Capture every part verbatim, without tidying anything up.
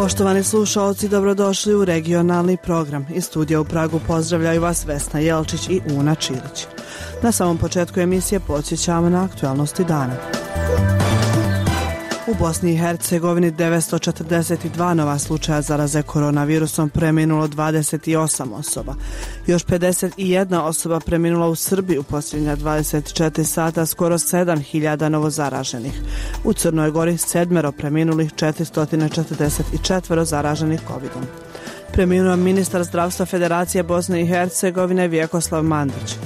Poštovani slušaoci, dobrodošli u regionalni program. Iz studija u Pragu pozdravljaju vas Vesna Jelčić i Una Čilić. Na samom početku emisije podsjećamo na aktualnosti dana. U Bosni i Hercegovini devetsto četrdeset dva nova slučaja zaraze koronavirusom, preminulo dvadeset osam osoba. Još pedeset jedna osoba preminula u Srbiji u posljednja dvadeset četiri sata, skoro sedam hiljada novozaraženih. U Crnoj Gori sedmero preminulih, četiristo četrdeset četiri zaraženih kovidom. Preminuo ministar zdravstva Federacije Bosne i Hercegovine Vjekoslav Mandić.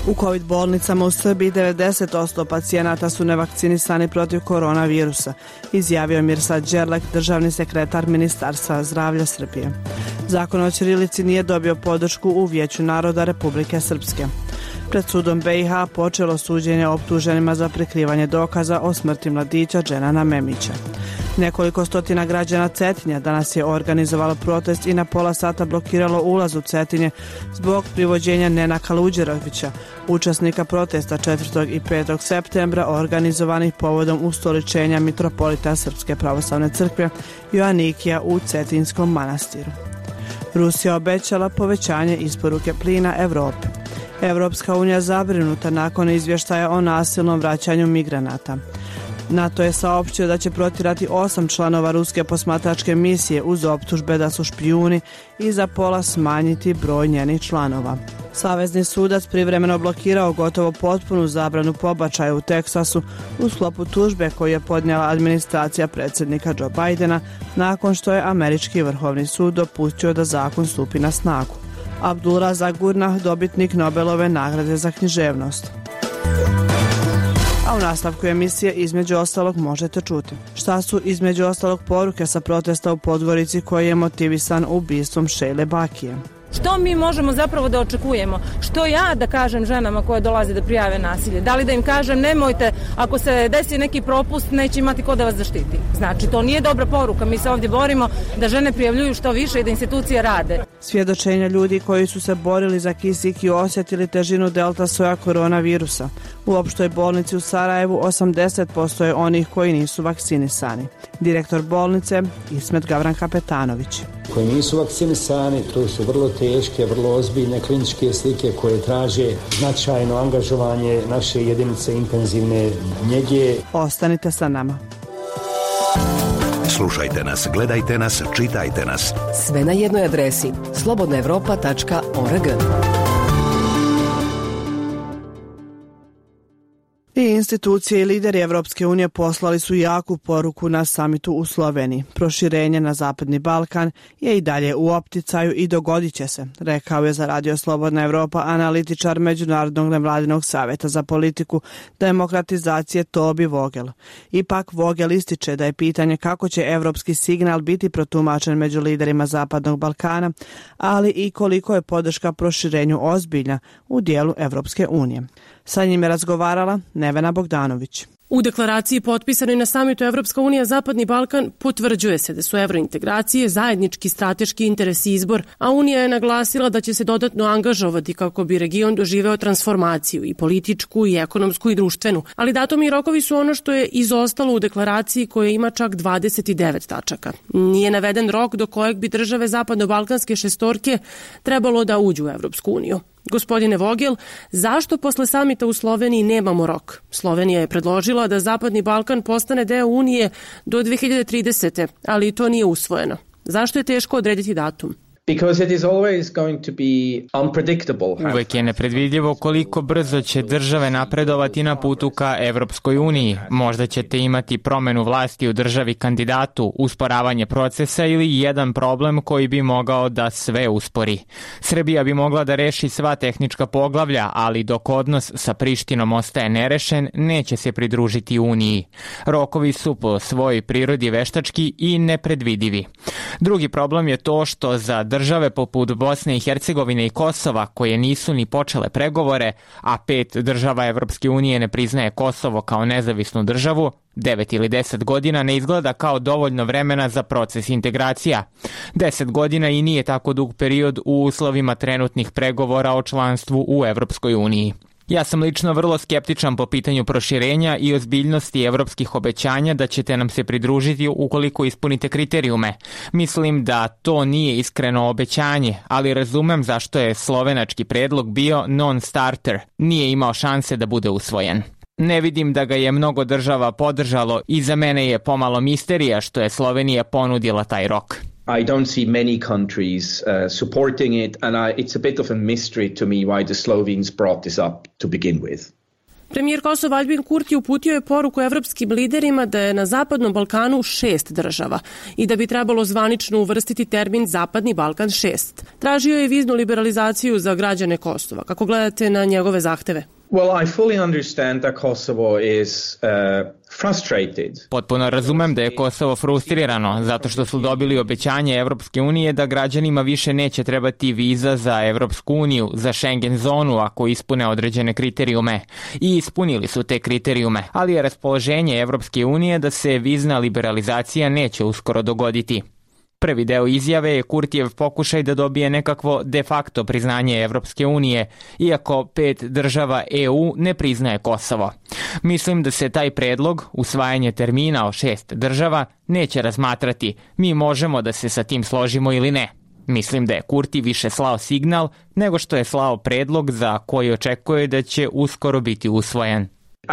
U COVID bolnicama u Srbiji devedeset posto pacijenata su nevakcinisani protiv koronavirusa, izjavio Mirsad Đerlek, državni sekretar Ministarstva zdravlja Srbije. Zakon o ćirilici nije dobio podršku u Vijeću naroda Republike Srpske. Pred sudom be i ha počelo suđenje optuženima za prikrivanje dokaza o smrti mladića Dženana Memića. Nekoliko stotina građana Cetinja danas je organizovalo protest i na pola sata blokiralo ulaz u Cetinje zbog privođenja Nena Kaluđerovića, učesnika protesta četvrtog i petog septembra organizovanih povodom ustoličenja mitropolita Srpske pravoslavne crkve Joanikija u Cetinskom manastiru. Rusija obećala povećanje isporuke plina Evropi. Evropska unija zabrinuta nakon izvještaja o nasilnom vraćanju migranata. NATO je saopštio da će protjerati osam članova ruske posmatračke misije uz optužbe da su špijuni i za pola smanjiti broj njenih članova. Savezni sudac privremeno blokirao gotovo potpunu zabranu pobačaja u Teksasu u sklopu tužbe koju je podnijela administracija predsjednika Joe Bidena nakon što je američki vrhovni sud dopustio da zakon stupi na snagu. Abdulrazak Gurnah, dobitnik Nobelove nagrade za književnost. A u nastavku emisije između ostalog možete čuti šta su između ostalog poruke sa protesta u Podgorici koji je motivisan ubistvom Šejle Bakije. Što mi možemo zapravo da očekujemo? Što ja da kažem ženama koje dolaze da prijave nasilje? Da li da im kažem nemojte, ako se desi neki propust neće imati ko da vas zaštiti? Znači to nije dobra poruka, mi se ovdje borimo da žene prijavljuju što više i da institucije rade. Svjedočenja ljudi koji su se borili za kisik i osjetili težinu delta soja koronavirusa. U opštoj bolnici u Sarajevu osamdeset posto je onih koji nisu vakcinisani. Direktor bolnice Ismet Gavran Kapetanović. Koji nisu vakcinisani, to su vrlo teške, vrlo ozbiljne kliničke slike koje traže značajno angažovanje naše jedinice intenzivne njege. Ostanite sa nama. Slušajte nas, gledajte nas, čitajte nas. Sve na jednoj adresi slobodna evropa tačka org. I institucije i lideri Evropske unije poslali su jaku poruku na samitu u Sloveniji. Proširenje na Zapadni Balkan je i dalje u opticaju i dogodit će se, rekao je za Radio Slobodna Evropa analitičar Međunarodnog nevladinog savjeta za politiku demokratizacije Tobi Vogel. Ipak Vogel ističe da je pitanje kako će evropski signal biti protumačen među liderima Zapadnog Balkana, ali i koliko je podrška proširenju ozbiljna u dijelu Evropske unije. Sa njim je razgovarala Nevena Bogdanović. U deklaraciji potpisanoj na samitu Evropska unija Zapadni Balkan potvrđuje se da su evrointegracije zajednički strateški interes i izbor, a Unija je naglasila da će se dodatno angažovati kako bi region doživeo transformaciju i političku i ekonomsku i društvenu. Ali datumi i rokovi su ono što je izostalo u deklaraciji koja ima čak dvadeset devet tačaka. Nije naveden rok do kojeg bi države zapadno-balkanske šestorke trebalo da uđu u Evropsku uniju. Gospodine Vogel, zašto posle samita u Sloveniji nemamo rok? Slovenija je predložila da Zapadni Balkan postane deo Unije do dve hiljade tridesete. ali to nije usvojeno. Zašto je teško odrediti datum? Because it is always going to be unpredictable. Uvek je nepredvidljivo koliko brzo će države napredovati na putu ka Evropskoj uniji. Možda ćete imati promenu vlasti u državi kandidatu, usporavanje procesa ili jedan problem koji bi mogao da sve uspori. Srbija bi mogla da reši sva tehnička poglavlja, ali dok odnos sa Prištinom ostaje nerešen, neće se pridružiti uniji. Rokovi su po svojoj prirodi veštački i nepredvidivi. Drugi problem je to što za države poput Bosne i Hercegovine i Kosova, koje nisu ni počele pregovore, a pet država Evropske unije ne priznaje Kosovo kao nezavisnu državu, devet ili deset godina ne izgleda kao dovoljno vremena za proces integracija. Deset godina i nije tako dug period u uslovima trenutnih pregovora o članstvu u Evropskoj uniji. Ja sam lično vrlo skeptičan po pitanju proširenja i ozbiljnosti evropskih obećanja da ćete nam se pridružiti ukoliko ispunite kriterijume. Mislim da to nije iskreno obećanje, ali razumem zašto je slovenački predlog bio non-starter, nije imao šanse da bude usvojen. Ne vidim da ga je mnogo država podržalo i za mene je pomalo misterija što je Slovenija ponudila taj rok. I don't see many countries uh, supporting it, and I, it's a bit of a mystery to me why the Slovenes brought this up to begin with. Premijer Kosova Aljbin Kurti uputio je poruku evropskim liderima da je na Zapadnom Balkanu šest država i da bi trebalo zvanično uvrstiti termin Zapadni Balkan šest. Tražio je viznu liberalizaciju za građane Kosova. Kako gledate na njegove zahteve? Well, I fully understand that Kosovo is uh, frustrated. Potpuno razumem da je Kosovo frustrirano zato što su dobili obećanje Evropske unije da građanima više neće trebati viza za Evropsku uniju, za Schengen zonu ako ispune određene kriterijume. I ispunili su te kriterijume, ali je raspoloženje Evropske unije da se vizna liberalizacija neće uskoro dogoditi. Prvi deo izjave je Kurtijev pokušaj da dobije nekakvo de facto priznanje Evropske unije, iako pet država E U ne priznaje Kosovo. Mislim da se taj predlog, usvajanje termina o šest država, neće razmatrati. Mi možemo da se sa tim složimo ili ne. Mislim da je Kurti više slao signal nego što je slao predlog za koji očekuje da će uskoro biti usvojen.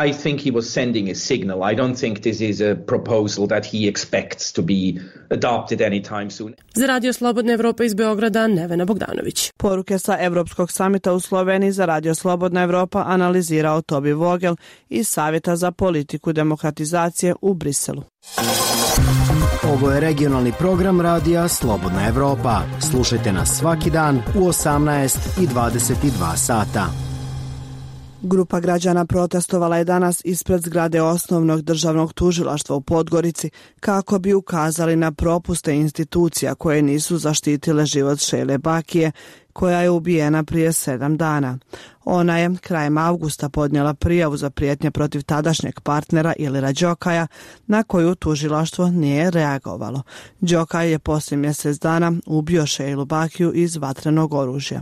I think he was sending a signal. I don't think this is a proposal that he expects to be adopted anytime soon. Za Radio Slobodna Evropa iz Beograda, Nevena Bogdanović. Poruke sa Evropskog samita u Sloveniji za Radio Slobodna Evropa analizirao Tobi Vogel iz Savjeta za politiku demokratizacije u Briselu. Ovo je regionalni program Radija Slobodna Evropa. Slušajte nas svaki dan u osamnaest i dvadeset dva sata. Grupa građana protestovala je danas ispred zgrade Osnovnog državnog tužilaštva u Podgorici kako bi ukazali na propuste institucija koje nisu zaštitile život Šejle Bakije, koja je ubijena prije sedam dana. Ona je krajem avgusta podnijela prijavu za prijetnje protiv tadašnjeg partnera Ilira Đokaja, na koju tužilaštvo nije reagovalo. Đokaj je poslije mjesec dana ubio Šejlu Bakiju iz vatrenog oružja.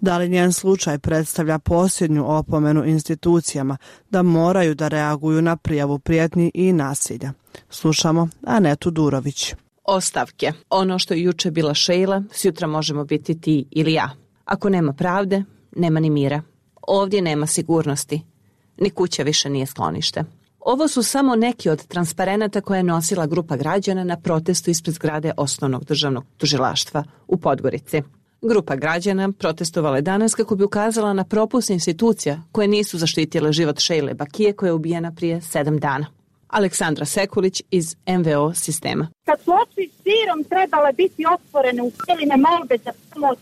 Da li njen slučaj predstavlja posljednju opomenu institucijama da moraju da reaguju na prijavu prijetnji i nasilja? Slušamo Anetu Durović. Ostavke. Ono što je juče bila Šejla, sutra možemo biti ti ili ja. Ako nema pravde, nema ni mira. Ovdje nema sigurnosti. Ni kuća više nije sklonište. Ovo su samo neki od transparenata koje je nosila grupa građana na protestu ispred zgrade Osnovnog državnog tužilaštva u Podgorici. Grupa građana protestovala je danas kako bi ukazala na propust institucija koje nisu zaštitile život Šejle Bakije koja je ubijena prije sedam dana. Aleksandra Sekulić iz M V O sistema. Kad su oči širom trebale biti otvorene u cijeline molbe za pomoć,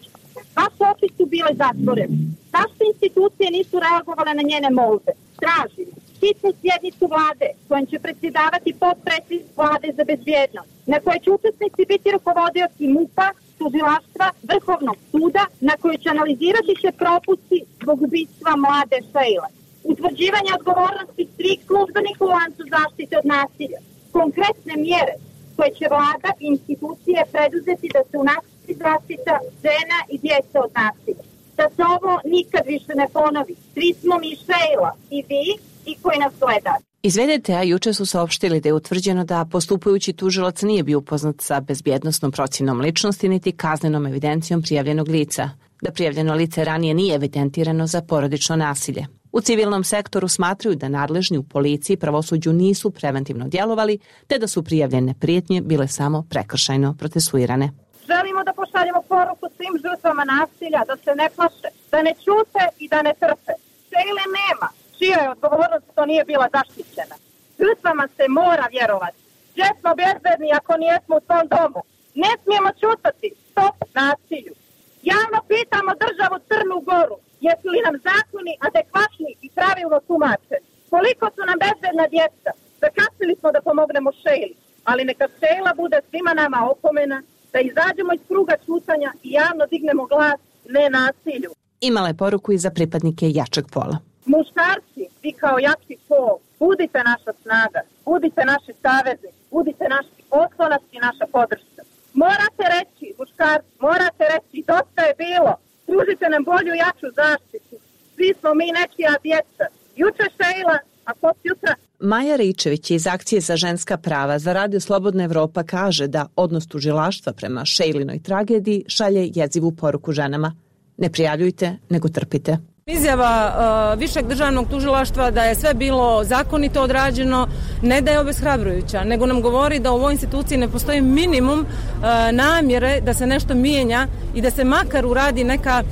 vaše oči su bile zatvorene. Zašto institucije nisu reagovale na njene molbe? Tražim hitnu sjednicu vlade kojom će predsjedavati potpredsjednik vlade za bezbjednost, na kojoj će učesnici biti rukovodioci MUP-a, tužilaštva, Vrhovnog suda, na kojoj će analizirati se propusti zbog ubistva mlade Šejle. Utvrđivanje odgovornosti svih službenika u lancu zaštite od nasilja. Konkretne mjere koje će vlada i institucije preduzeti da se unapredi zaštita žena i djece od nasilja. Da se ovo nikad više ne ponovi. Svi smo mi Šejla, i vi, i koji nas gledate. Iz V D T-a juče su saopštili da je utvrđeno da postupajući tužilac nije bio upoznat sa bezbjednosnom procjenom ličnosti niti kaznenom evidencijom prijavljenog lica, da prijavljeno lice ranije nije evidentirano za porodično nasilje. U civilnom sektoru smatraju da nadležni u policiji i pravosuđu nisu preventivno djelovali, te da su prijavljene prijetnje bile samo prekršajno procesuirane. Želimo da pošaljemo poruku svim žrtvama nasilja da se ne plaše, da ne ćute i da ne trpe. Šejle nema, čija je odgovornost što nije bila zaštićena. Žrtvama se mora vjerovati. Gdje smo bezbedni ako nijesmo u svom domu? Ne smijemo ćutati. Stop nasilju. Javno pitamo državu Crnu Goru. Jesu li nam zakoni adekvatni i pravilno tumačeni? Koliko su nam bezbedna djeca? Zakasnili smo da pomognemo Šejli, ali neka Šejla bude svima nama opomena, da izađemo iz kruga ćutanja i javno dignemo glas ne nasilju. Imala je poruku i za pripadnike jačeg pola. Muškarci, vi kao jači pol, budite naša snaga, budite naši savezi, budite naši oslonac i naša podrška. Morate reći, muškarci, morate reći, dosta je bilo. Pružite nam bolju, jaču zaštitu. svi smo mi nečija djeca. Juče Šejla, a ko jutra? Maja Ričević iz Akcije za ženska prava za Radio Slobodna Evropa kaže da odnos tužilaštva prema Šejlinoj tragediji šalje jezivu poruku ženama. Ne prijavljujte, nego trpite. Izjava uh, višeg državnog tužilaštva da je sve bilo zakonito odrađeno ne da je obeshrabrujuća, nego nam govori da u ovoj instituciji ne postoji minimum uh, namjere da se nešto mijenja i da se makar uradi neka,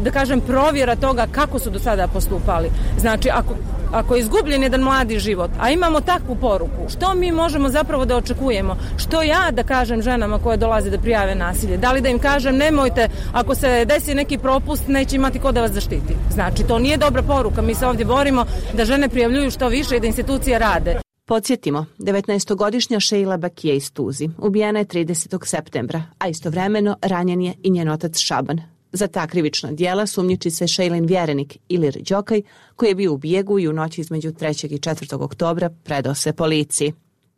da kažem, provjera toga kako su do sada postupali. Znači, ako, ako je izgubljen jedan mladi život, a imamo takvu poruku, što mi možemo zapravo da očekujemo? Što ja da kažem ženama koje dolaze da prijave nasilje? Da li da im kažem nemojte, ako se desi neki propust, neće imati ko da vas zaštiti? Znači, to nije dobra poruka. Mi se ovdje borimo da žene prijavljuju što više i da institucije rade. Podsjetimo, devetnaestogodišnja Šejla Bakije iz Tuzi ubijena je tridesetog septembra, a istovremeno ranjen je i njen otac Šaban. Za ta krivična djela sumnjiči se Šejlin vjerenik Ilir Đokaj, koji je bio u bijegu i u noći između trećeg i četvrtog oktobra predao se policiji.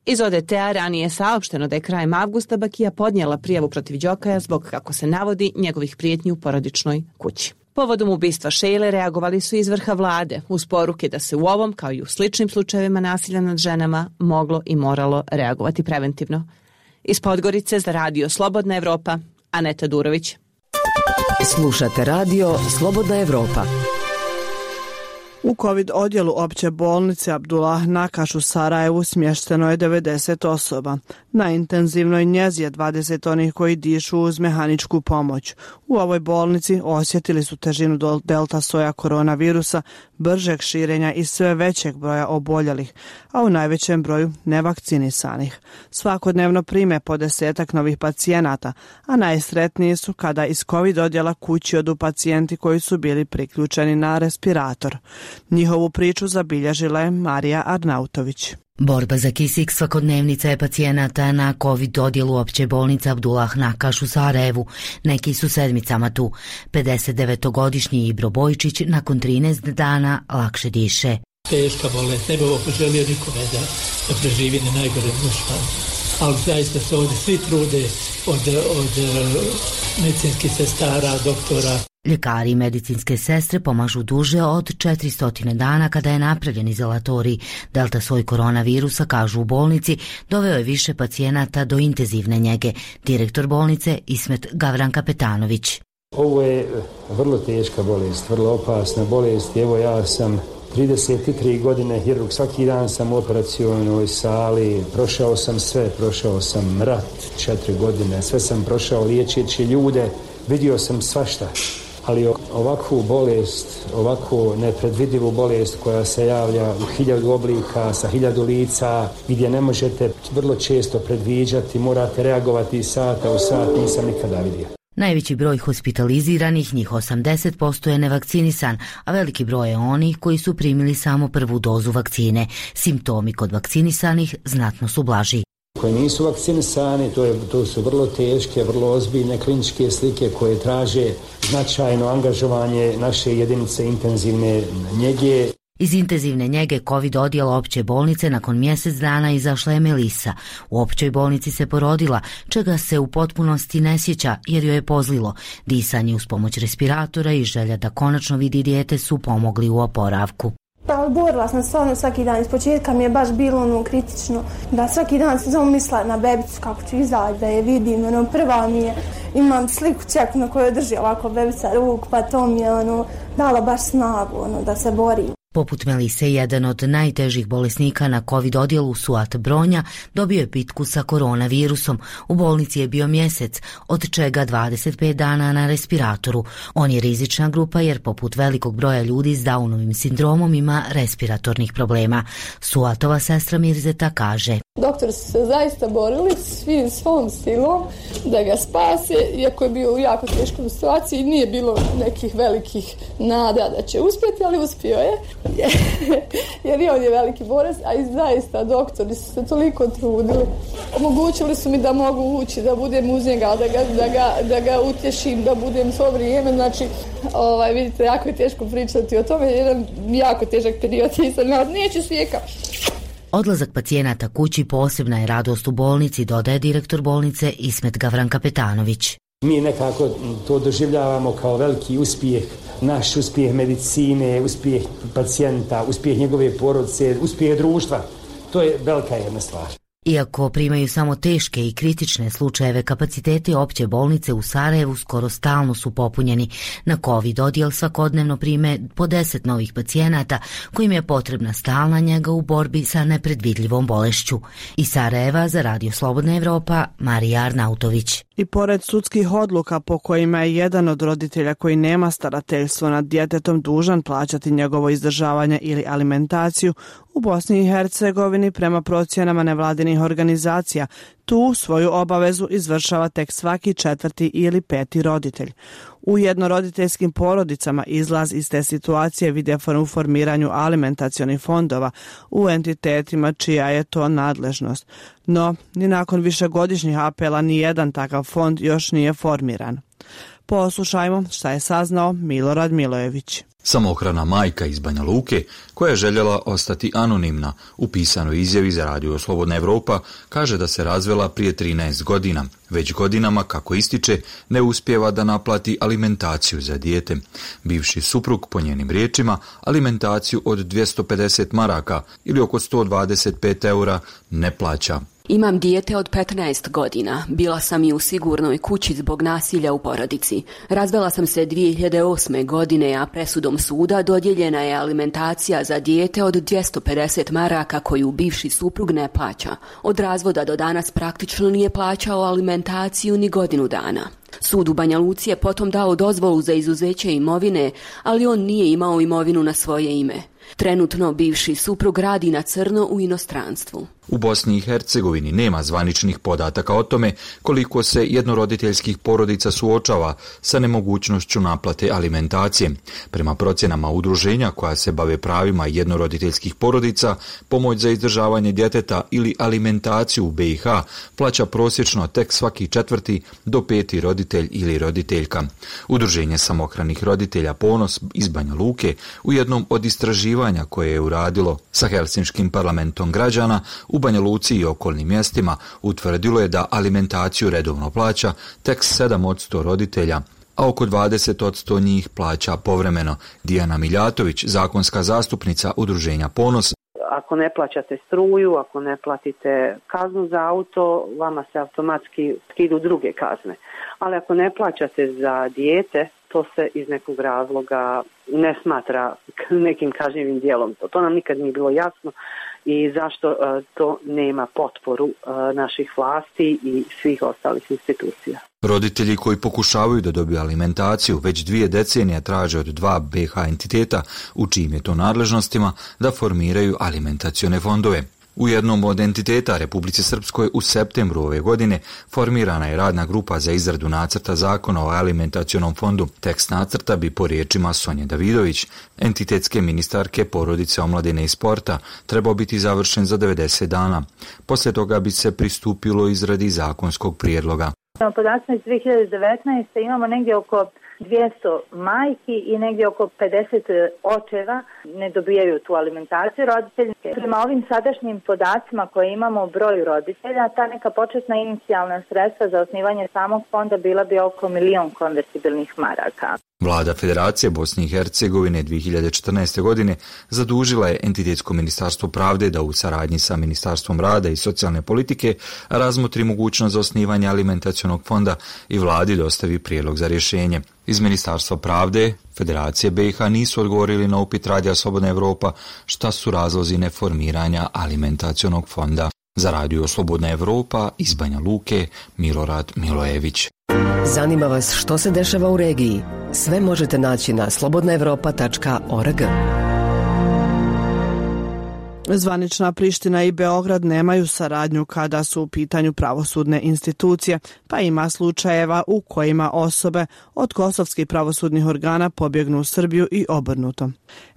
Iz O D T-a ranije je saopšteno da je krajem avgusta Bakija podnijela prijavu protiv Đokaja zbog, kako se navodi, njegovih prijetnji u porodičnoj kući. Povodom ubistva Šejle reagovali su iz vrha vlade uz poruke da se u ovom, kao i u sličnim slučajevima nasilja nad ženama, moglo i moralo reagovati preventivno. Iz Podgorice za Radio Slobodna Evropa, Aneta Durović. Slušate radio Slobodna Evropa. U COVID odjelu opće bolnice Abdullah Nakaš u Sarajevu smješteno je devedeset osoba. Na intenzivnoj njezi je dvadeset onih koji dišu uz mehaničku pomoć. U ovoj bolnici osjetili su težinu delta soja koronavirusa, bržeg širenja i sve većeg broja oboljelih, a u najvećem broju nevakcinisanih. Svakodnevno prime po desetak novih pacijenata, a najsretniji su kada iz COVID odjela kući odu pacijenti koji su bili priključeni na respirator. Njihovu priču zabilježila je Marija Arnautović. Borba za kisik svakodnevnica je pacijenata na COVID odjelu opće bolnice Abdullah Nakaš u Sarajevu. Neki su sedmicama tu. pedesetdevetogodišnji Ibro Bojčić nakon trinaest dana lakše diše. Teška bolest, ne bi ovo poželio nikome da, da preživi na najgore dušman. Ali zaista se ovdje svi trude od, od medicinskih sestara, doktora. Ljekari i medicinske sestre pomažu duže od četiristo dana kada je napravljen izolatorij. Delta soj koronavirusa, kažu u bolnici, doveo je više pacijenata do intenzivne njege. Direktor bolnice Ismet Gavranka Petanović. Ovo je vrlo teška bolest, vrlo opasna bolest. Evo ja sam trideset tri godine hirurg, svaki dan sam u operacionoj sali, prošao sam sve, prošao sam rat četiri godine, sve sam prošao liječeći ljude, vidio sam svašta. Ali ovakvu bolest, ovakvu nepredvidivu bolest koja se javlja u hiljadu oblika, sa hiljadu lica, gdje ne možete vrlo često predviđati, morate reagovati iz sata u sat, nisam nikada vidio. Najveći broj hospitaliziranih, njih osamdeset posto je nevakcinisan, a veliki broj je onih koji su primili samo prvu dozu vakcine. Simptomi kod vakcinisanih znatno su blaži. Koji nisu vakcinisani, to, je, to su vrlo teške, vrlo ozbiljne kliničke slike koje traže značajno angažovanje naše jedinice intenzivne njege. Iz intenzivne njege COVID odjela opće bolnice nakon mjesec dana izašla je Melisa. U općoj bolnici se porodila, čega se u potpunosti ne sjeća jer joj je pozlilo. Disanje uz pomoć respiratora i želja da konačno vidi dijete su pomogli u oporavku. Pa borila sam stvarno svaki dan, iz početka mi je baš bilo ono kritično, da svaki dan sam samo mislila na bebicu kako ću izaći, da je vidim, ono prva mi je, imam sliku čeku na kojoj drži ovako bebica ruk, pa to mi je ono dalo baš snagu, ono da se borim. Poput Melise, jedan od najtežih bolesnika na COVID odjelu, Suat Bronja, dobio je pitku sa koronavirusom. U bolnici je bio mjesec, od čega dvadeset pet dana na respiratoru. On je rizična grupa jer poput velikog broja ljudi s Downovim sindromom ima respiratornih problema. Suatova sestra Mirzeta kaže: doktori su se zaista borili svim svom silom da ga spase, iako je bio u jako teškoj situaciji, nije bilo nekih velikih nada da će uspjeti, ali uspio je. Jer i on je veliki borac, a i zaista doktori su se toliko trudili. Omogućili su mi da mogu ući, da budem uz njega, da ga, da ga, da ga utješim, da budem svo vrijeme. Znači, ovaj, vidite, jako je teško pričati o tome, jedan jako težak period nisam, ali neću svijeka. Odlazak pacijenata kući posebna je radost u bolnici, dodaje direktor bolnice Ismet Gavranka Petanović. Mi nekako to doživljavamo kao veliki uspjeh, naš uspjeh medicine, uspjeh pacijenta, uspjeh njegove porodice, uspjeh društva. To je velika jedna stvar. Iako primaju samo teške i kritične slučajeve, kapaciteti opće bolnice u Sarajevu skoro stalno su popunjeni. Na COVID odjel svakodnevno prime po deset novih pacijenata kojim je potrebna stalna njega u borbi sa nepredvidljivom bolešću. Iz Sarajeva za Radio Slobodna Evropa, Marija Arnautović. I pored sudskih odluka po kojima je jedan od roditelja koji nema starateljstvo nad djetetom dužan plaćati njegovo izdržavanje ili alimentaciju, u Bosni i Hercegovini prema procjenama nevladinih organizacija tu svoju obavezu izvršava tek svaki četvrti ili peti roditelj. U jednoroditeljskim porodicama izlaz iz te situacije vide u formiranju alimentacionih fondova u entitetima čija je to nadležnost. No, ni nakon višegodišnjih apela ni jedan takav fond još nije formiran. Poslušajmo šta je saznao Milorad Milojević. Samohrana majka iz Banja Luke, koja je željela ostati anonimna, u pisanoj izjavi za Radio Slobodna Evropa kaže da se razvela prije trinaest godina. Već godinama, kako ističe, ne uspijeva da naplati alimentaciju za dijete. Bivši suprug, po njenim riječima, alimentaciju od dvjesto pedeset maraka ili oko sto dvadeset pet eura ne plaća. Imam dijete od petnaest godina. Bila sam i u sigurnoj kući zbog nasilja u porodici. Razvela sam se dvije hiljade osme. godine, a presudom suda dodijeljena je alimentacija za dijete od dvjesto pedeset maraka koju bivši suprug ne plaća. Od razvoda do danas praktično nije plaćao alimentaciju ni godinu dana. Sud u Banja Luci je potom dao dozvolu za izuzeće imovine, ali on nije imao imovinu na svoje ime. Trenutno bivši suprug radi na crno u inostranstvu. U Bosni i Hercegovini nema zvaničnih podataka o tome koliko se jednoroditeljskih porodica suočava sa nemogućnošću naplate alimentacije. Prema procjenama udruženja koja se bave pravima jednoroditeljskih porodica, pomoć za izdržavanje djeteta ili alimentaciju u B i H plaća prosječno tek svaki četvrti do peti roditelj ili roditeljka. Udruženje samohranih roditelja Ponos iz Banja Luke u jednom od istraživanja koje je uradilo sa Helsinškim parlamentom građana u Banja Luci i okolnim mjestima utvrdilo je da alimentaciju redovno plaća tek sedam posto roditelja, a oko dvadeset posto njih plaća povremeno. Dijana Miljatović, zakonska zastupnica udruženja Ponos. Ako ne plaćate struju, ako ne platite kaznu za auto, vama se automatski idu druge kazne. Ali ako ne plaćate za dijete, to se iz nekog razloga ne smatra nekim kažnjivim dijelom. To, to nam nikad nije bilo jasno i zašto uh, to nema potporu uh, naših vlasti i svih ostalih institucija. Roditelji koji pokušavaju da dobiju alimentaciju već dvije decenije traže od dva B H entiteta u čijim je to nadležnostima da formiraju alimentacione fondove. U jednom od entiteta Republici Srpskoj u septembru ove godine formirana je radna grupa za izradu nacrta zakona o alimentacionom fondu. Tekst nacrta bi po riječima Sonje Davidović, entitetske ministarke porodice, omladine i sporta, trebao biti završen za devedeset dana. Poslije toga bi se pristupilo izradi zakonskog prijedloga. Na podacima iz dvije hiljade devetnaeste. imamo negdje oko dvjesto majki i negdje oko pedeset očeva ne dobijaju tu alimentaciju roditelji. Prema ovim sadašnjim podacima koje imamo o broju roditelja, ta neka početna inicijalna sredstva za osnivanje samog fonda bila bi oko milion konvertibilnih maraka. Vlada Federacije Bosne i Hercegovine dvije hiljade četrnaeste. godine zadužila je Entitetsko ministarstvo pravde da u saradnji sa Ministarstvom rada i socijalne politike razmotri mogućnost za osnivanje alimentacionog fonda i vladi dostavi prijedlog za rješenje. Iz Ministarstva pravde Federacije B i H nisu odgovorili na upit Radija Slobodna Evropa šta su razlozi neformiranja alimentacionog fonda. Za Radio Slobodna Evropa iz Banja Luke, Milorad Milojević. Zanima vas što se dešava u regiji? Sve možete naći na slobodna evropa tačka org. Zvanična Priština i Beograd nemaju saradnju kada su u pitanju pravosudne institucije, pa ima slučajeva u kojima osobe od kosovskih pravosudnih organa pobjegnu u Srbiju i obrnuto.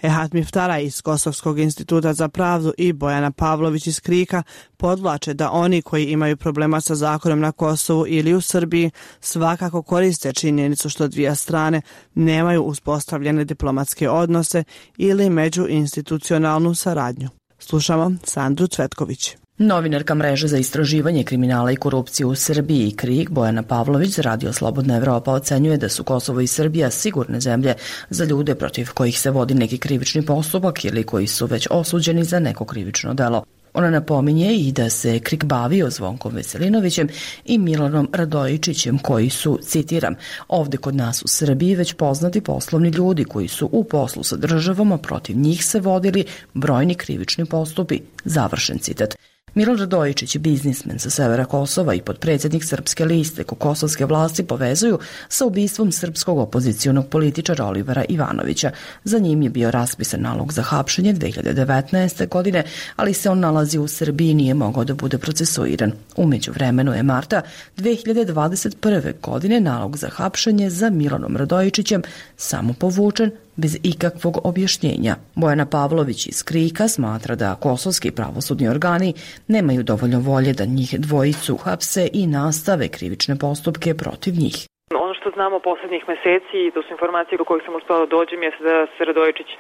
Ehat Miftara iz Kosovskog instituta za pravdu i Bojana Pavlović iz Krika podvlače da oni koji imaju problema sa zakonom na Kosovu ili u Srbiji svakako koriste činjenicu što dvije strane nemaju uspostavljene diplomatske odnose ili međuinstitucionalnu saradnju. Slušamo Sandru Cvetković. Novinarka mreže za istraživanje kriminala i korupcije u Srbiji KRIK Bojana Pavlović za Radio Slobodna Evropa ocenjuje da su Kosovo i Srbija sigurne zemlje za ljude protiv kojih se vodi neki krivični postupak ili koji su već osuđeni za neko krivično delo. Ona napominje i da se KRIK bavio Zvonkom Veselinovićem i Milanom Radojičićem koji su, citiram, ovde kod nas u Srbiji već poznati poslovni ljudi koji su u poslu sa državom, a protiv njih se vodili brojni krivični postupi, završen citat. Milan Radojičić, biznismen sa severa Kosova i potpredsjednik Srpske liste ko kosovske vlasti povezuju sa ubistvom srpskog opozicionog političara Olivera Ivanovića. Za njim je bio raspisan nalog za hapšenje dve hiljade devetnaeste. godine, ali se on nalazi u Srbiji i nije mogao da bude procesuiran. Umeđu vremenu je marta dve hiljade dvadeset prve. godine nalog za hapšenje za Milanom Radojičićem samo povučen bez ikakvog objašnjenja. Bojana Pavlović iz KRIK-a smatra da kosovski pravosudni organi nemaju dovoljno volje da njih dvojicu hapse i nastave krivične postupke protiv njih. Ono što znamo poslednjih meseci i to su informacije do kojih sam uspela da dođem je da se Radojičić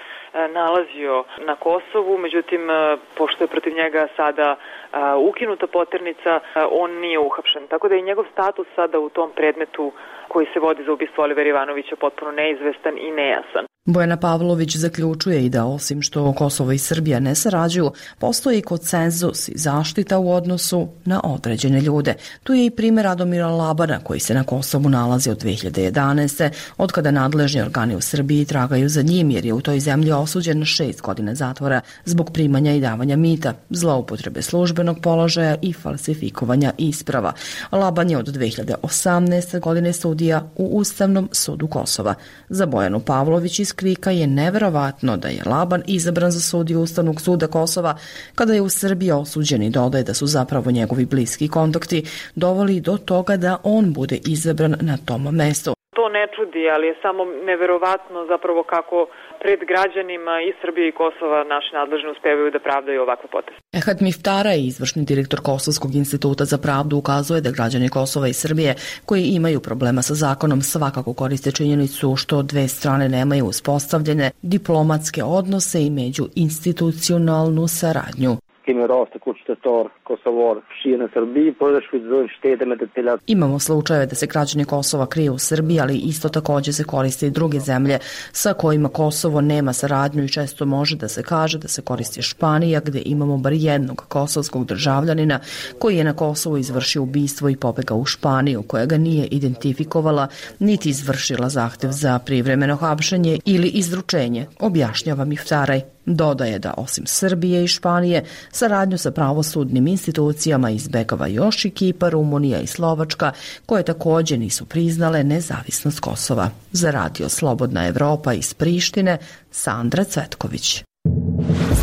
nalazio na Kosovu, međutim, pošto je protiv njega sada ukinuta poternica, on nije uhapšen. Tako da je njegov status sada u tom predmetu koji se vodi za ubistvo Olivera Ivanovića potpuno neizvestan i nejasan. Bojana Pavlović zaključuje i da osim što Kosovo i Srbija ne sarađuju, postoji konsenzus i zaštita u odnosu na određene ljude. Tu je i primjer Radomira Labana koji se na Kosovu nalazi od dve hiljade jedanaeste. od kada nadležni organi u Srbiji tragaju za njim jer je u toj zemlji osuđen na šest godina zatvora zbog primanja i davanja mita, zloupotrebe službenog položaja i falsifikovanja isprava. Laban je od dve hiljade osamnaeste. godine sudija u Ustavnom sudu Kosova. Za Bojanu Pavlović iz KRIK-a je neverovatno da je Laban izabran za sudiju Ustavnog suda Kosova kada je u Srbiji osuđen i dodaje da su zapravo njegovi bliski kontakti doveli do toga da on bude izabran na tom mestu. To ne čudi, ali je samo neverovatno zapravo kako pred građanima i Srbije i Kosova naši nadležni uspevaju da pravdaju ovakve poteze. Ehad Miftara, izvršni direktor Kosovskog instituta za pravdu, ukazuje da građani Kosova i Srbije koji imaju problema sa zakonom svakako koriste činjenicu što dve strane nemaju uspostavljene diplomatske odnose i međuinstitucionalnu saradnju. Imamo slučajeve da se građani Kosova kriju u Srbiji, ali isto također se koriste i druge zemlje sa kojima Kosovo nema saradnju i često može da se kaže da se koristi Španija gdje imamo bar jednog kosovskog državljanina koji je na Kosovu izvršio ubistvo i pobegao u Španiju koja ga nije identifikovala niti izvršila zahtjev za privremeno hapšenje ili izručenje, objašnjava Miftaraj. Dodaje da osim Srbije i Španije, saradnju sa pravosudnim institucijama izbegava još i Kipar, Rumunija i Slovačka, koje također nisu priznale nezavisnost Kosova. Za Radio Slobodna Evropa iz Prištine, Sandra Cvetković.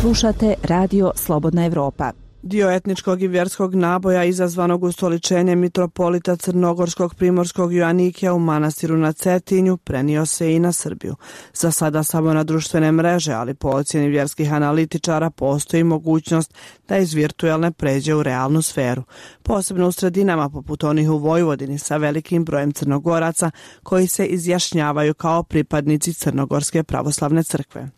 Slušate Radio Slobodna Evropa. Dio etničkog i vjerskog naboja izazvanog ustoličenjem mitropolita crnogorskog primorskog Joanikija u manastiru na Cetinju prenio se i na Srbiju. Za sada samo na društvene mreže, ali po ocjeni vjerskih analitičara postoji mogućnost da iz virtualne pređe u realnu sferu. Posebno u sredinama poput onih u Vojvodini sa velikim brojem Crnogoraca koji se izjašnjavaju kao pripadnici Crnogorske pravoslavne crkve.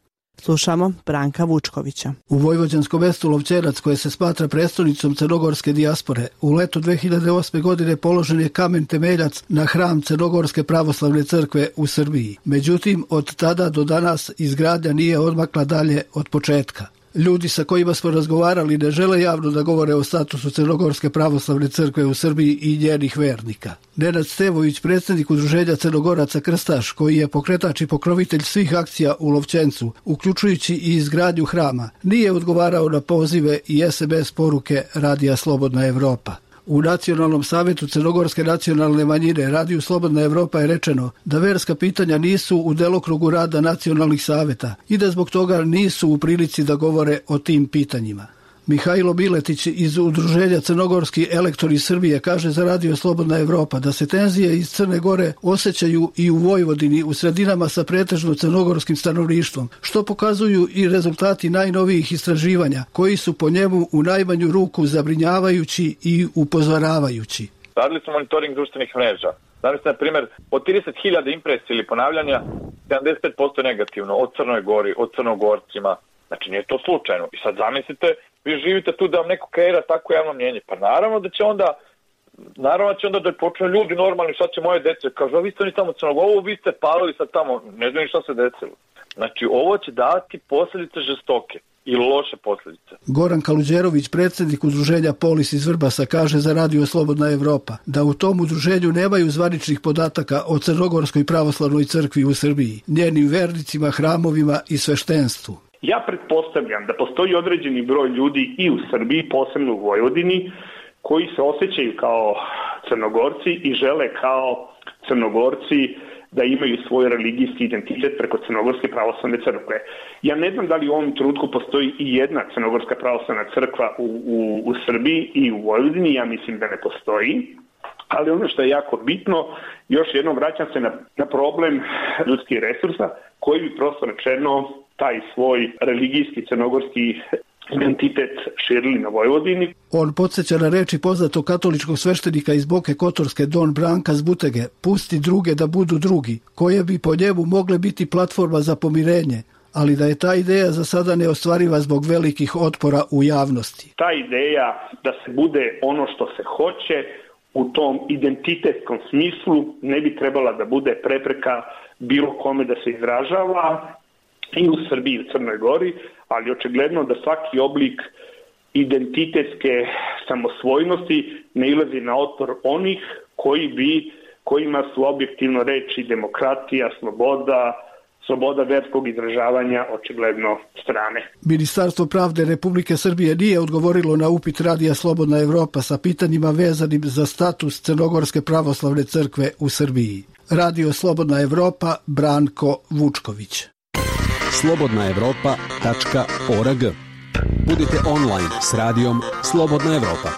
Slušamo Branka Vučkovića. U vojvođanskom mestu Lovćenac, koje se smatra prestonicom crnogorske dijaspore, u letu dve hiljade osme. godine položen je kamen temeljac na hram Crnogorske pravoslavne crkve u Srbiji. Međutim, od tada do danas izgradnja nije odmakla dalje od početka. Ljudi sa kojima smo razgovarali ne žele javno da govore o statusu Crnogorske pravoslavne crkve u Srbiji i njenih vernika. Nenad Stevović, predsjednik udruženja Crnogoraca Krstaš, koji je pokretač i pokrovitelj svih akcija u Lovćencu, uključujući i izgradnju hrama, nije odgovarao na pozive i es em es poruke Radija Slobodna Evropa. U Nacionalnom savjetu Crnogorske nacionalne manjine Radiju Slobodna Evropa je rečeno da verska pitanja nisu u delokrugu rada nacionalnih savjeta i da zbog toga nisu u prilici da govore o tim pitanjima. Mihajlo Miletić iz udruženja Crnogorski elektori Srbije kaže za Radio Slobodna Evropa da se tenzije iz Crne Gore osjećaju i u Vojvodini u sredinama sa pretežno crnogorskim stanovništvom, što pokazuju i rezultati najnovijih istraživanja koji su po njemu u najmanju ruku zabrinjavajući i upozoravajući. Radili smo monitoring društvenih mreža. Danas, na primjer, od trideset hiljada impresija ili ponavljanja, sedamdeset pet posto negativno, od Crnoj Gori, od Crnogorcima. Znači, nije to slučajno. I sad zamislite vi živite tu da vam neko kreira tako javno mnjenje. Pa naravno da će onda Naravno će onda da počne ljudi normalni, šta će moje dece, kažu, a vi ste oni tamo crnog, ovo vi ste palili sad tamo, ne znam šta se desilo. Znači, ovo će dati posljedice žestoke i loše posljedice. Goran Kaluđerović, predsjednik udruženja Polis iz Vrbasa, kaže za Radio Slobodna Evropa da u tom udruženju nemaju zvaničnih podataka o Crnogorskoj pravoslavnoj crkvi u Srbiji, njenim vernicima, hramovima i sveštenstvu. Ja pretpostavljam da postoji određeni broj ljudi i u Srbiji, posebno u Vojvodini, koji se osjećaju kao Crnogorci i žele kao Crnogorci da imaju svoj religijski identitet preko Crnogorske pravoslavne crkve. Ja ne znam da li u ovom trenutku postoji i jedna Crnogorska pravoslavna crkva u, u, u Srbiji i u Vojvodini, ja mislim da ne postoji. Ali ono što je jako bitno, još jednom vraćam se na, na problem ljudskih resursa, koji bi prosto rečeno taj svoj religijski crnogorski identitet širili na Vojvodini. On podsjeća na reči poznatog katoličkog sveštenika iz Boke Kotorske Don Branka Zbutege, pusti druge da budu drugi, koje bi po njemu mogle biti platforma za pomirenje, ali da je ta ideja za sada neostvariva zbog velikih otpora u javnosti. Ta ideja da se bude ono što se hoće u tom identitetskom smislu ne bi trebala da bude prepreka bilo kome da se izražava i u Srbiji i u Crnoj Gori, ali očigledno da svaki oblik identitetske samosvojnosti ne ilazi na otpor onih koji bi, kojima su objektivno reči demokratija, sloboda, sloboda verskog izražavanja očigledno strane. Ministarstvo pravde Republike Srbije nije odgovorilo na upit Radija Slobodna Evropa sa pitanjima vezanim za status Crnogorske pravoslavne crkve u Srbiji. Radio Slobodna Evropa, Branko Vučković. slobodna evropa tačka org. Budite online s radijom Slobodna Evropa.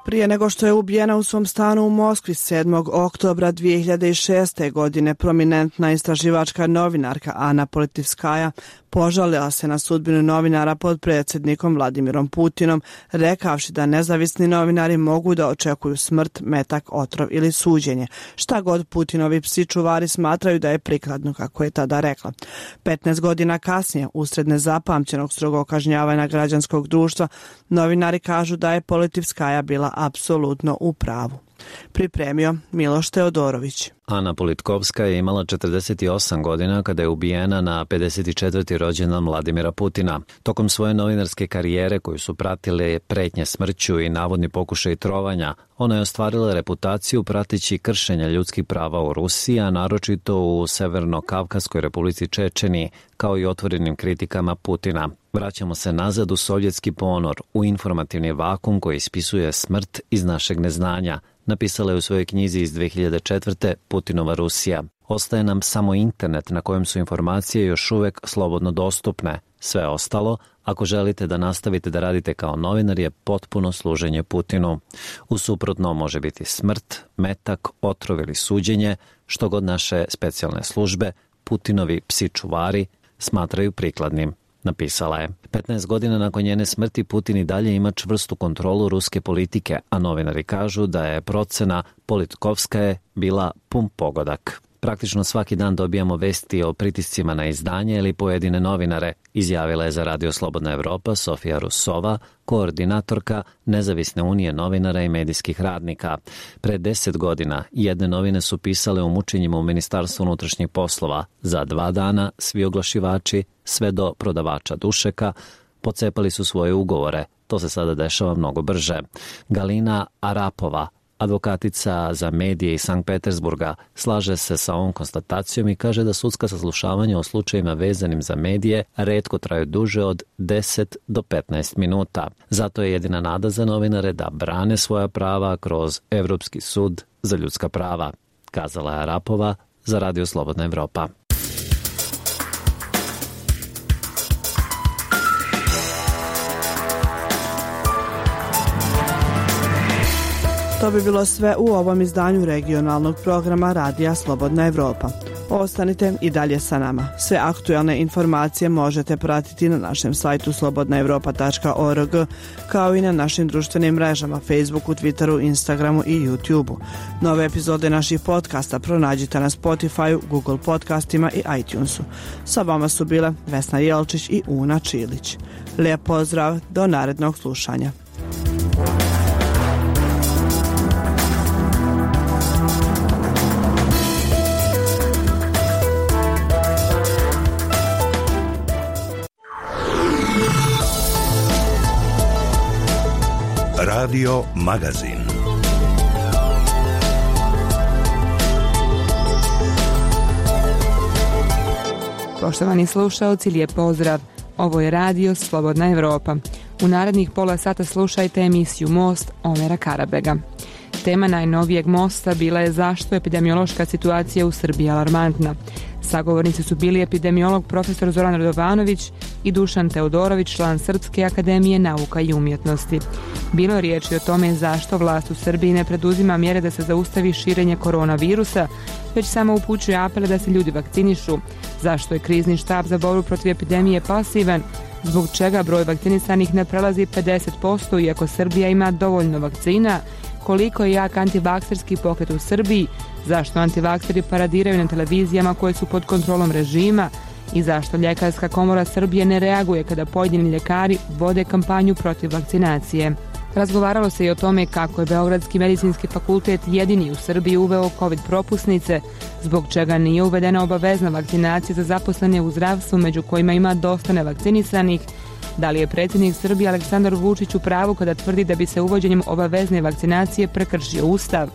Prije nego što je ubijena u svom stanu u Moskvi sedmog oktobra dvije hiljade šeste. godine, prominentna istraživačka novinarka Ana Politivskaja požalila se na sudbinu novinara pod predsjednikom Vladimirom Putinom, rekavši da nezavisni novinari mogu da očekuju smrt, metak, otrov ili suđenje, šta god Putinovi psi čuvari smatraju da je prikladno, kako je tada rekla. petnaest godina kasnije, usred nezapamćenog strogog kažnjavanja građanskog društva, novinari kažu da je Politivskaja bila apsolutno u pravu. Pripremio Miloš Teodorović. Ana Politkovska je imala četrdeset osam godina kada je ubijena na pedeset četvrti rođendan Vladimira Putina. Tokom svoje novinarske karijere koju su pratile pretnje smrću i navodni pokušaj trovanja, ona je ostvarila reputaciju prateći kršenja ljudskih prava u Rusiji, a naročito u Severno-Kavkaskoj republici Čečeniji, kao i otvorenim kritikama Putina. Vraćamo se nazad u sovjetski ponor, u informativni vakum koji ispisuje smrt iz našeg neznanja, napisala je u svojoj knjizi iz dve hiljade četvrte. Putinova Rusija. Ostaje nam samo internet na kojem su informacije još uvek slobodno dostupne. Sve ostalo, ako želite da nastavite da radite kao novinar, je potpuno služenje Putinu. U suprotno može biti smrt, metak, otrov ili suđenje, što god naše specijalne službe, Putinovi psi čuvari, smatraju prikladnim, napisala je. petnaest godina nakon njene smrti Putin i dalje ima čvrstu kontrolu ruske politike, a novinari kažu da je procena Politkovskaje bila pun pogodak. Praktično svaki dan dobijamo vesti o pritiscima na izdanje ili pojedine novinare, izjavila je za Radio Slobodna Evropa Sofija Rusova, koordinatorka Nezavisne unije novinara i medijskih radnika. Pre deset godina jedne novine su pisale o mučenjima u Ministarstvu unutrašnjih poslova. Za dva dana svi oglašivači, sve do prodavača dušeka, pocepali su svoje ugovore. To se sada dešava mnogo brže. Galina Arapova, advokatica za medije iz Sankt Petersburga, slaže se sa ovom konstatacijom i kaže da sudska saslušavanja o slučajima vezanim za medije retko traju duže od deset do petnaest minuta. Zato je jedina nada za novinare da brane svoja prava kroz Evropski sud za ljudska prava, kazala je Arapova za Radio Slobodna Evropa. To bi bilo sve u ovom izdanju regionalnog programa Radija Slobodna Evropa. Ostanite i dalje sa nama. Sve aktualne informacije možete pratiti na našem sajtu slobodna evropa tačka org, kao i na našim društvenim mrežama Facebooku, Twitteru, Instagramu i YouTubeu. Nove epizode naših podcasta pronađite na Spotifyu, Google podcastima i iTunesu. Sa vama su bile Vesna Jelčić i Una Čilić. Lijep pozdrav, do narednog slušanja. Radio Magazin. Poštovani slušaoci, lijep pozdrav. Ovo je radio Slobodna Evropa. U narednih pola sata slušajte emisiju Most Omera Karabega. Tema najnovijeg mosta bila je zašto je epidemiološka situacija u Srbiji alarmantna. Sagovornici su bili epidemiolog profesor Zoran Radovanović i Dušan Teodorović, član Srpske akademije nauka i umjetnosti. Bilo je riječi o tome zašto vlast u Srbiji ne preduzima mjere da se zaustavi širenje koronavirusa, već samo upućuje apele da se ljudi vakcinišu, zašto je krizni štab za borbu protiv epidemije pasivan, zbog čega broj vakcinisanih ne prelazi pedeset posto iako Srbija ima dovoljno vakcina, koliko je jak antivakserski pokret u Srbiji, zašto antivakseri paradiraju na televizijama koje su pod kontrolom režima i zašto Ljekarska komora Srbije ne reaguje kada pojedini ljekari vode kampanju protiv vakcinacije. Razgovaralo se i o tome kako je Beogradski medicinski fakultet jedini u Srbiji uveo COVID propusnice, zbog čega nije uvedena obavezna vakcinacija za zaposlene u zdravstvu, među kojima ima dosta nevakcinisanih. Da li je predsjednik Srbije Aleksandar Vučić u pravu kada tvrdi da bi se uvođenjem obavezne vakcinacije prekršio Ustav?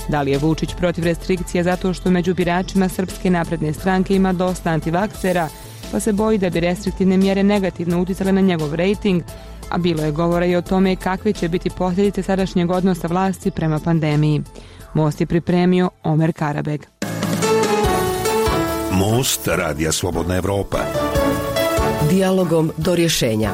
Da li je Vučić protiv restrikcija zato što među biračima Srpske napredne stranke ima dosta antivaksera, pa se boji da bi restriktivne mjere negativno uticale na njegov rejting, a bilo je govora i o tome kakve će biti posljedice sadašnjeg odnosa vlasti prema pandemiji. Most je pripremio Omer Karabeg. Most Radija Slobodna Evropa. Dijalogom do rješenja.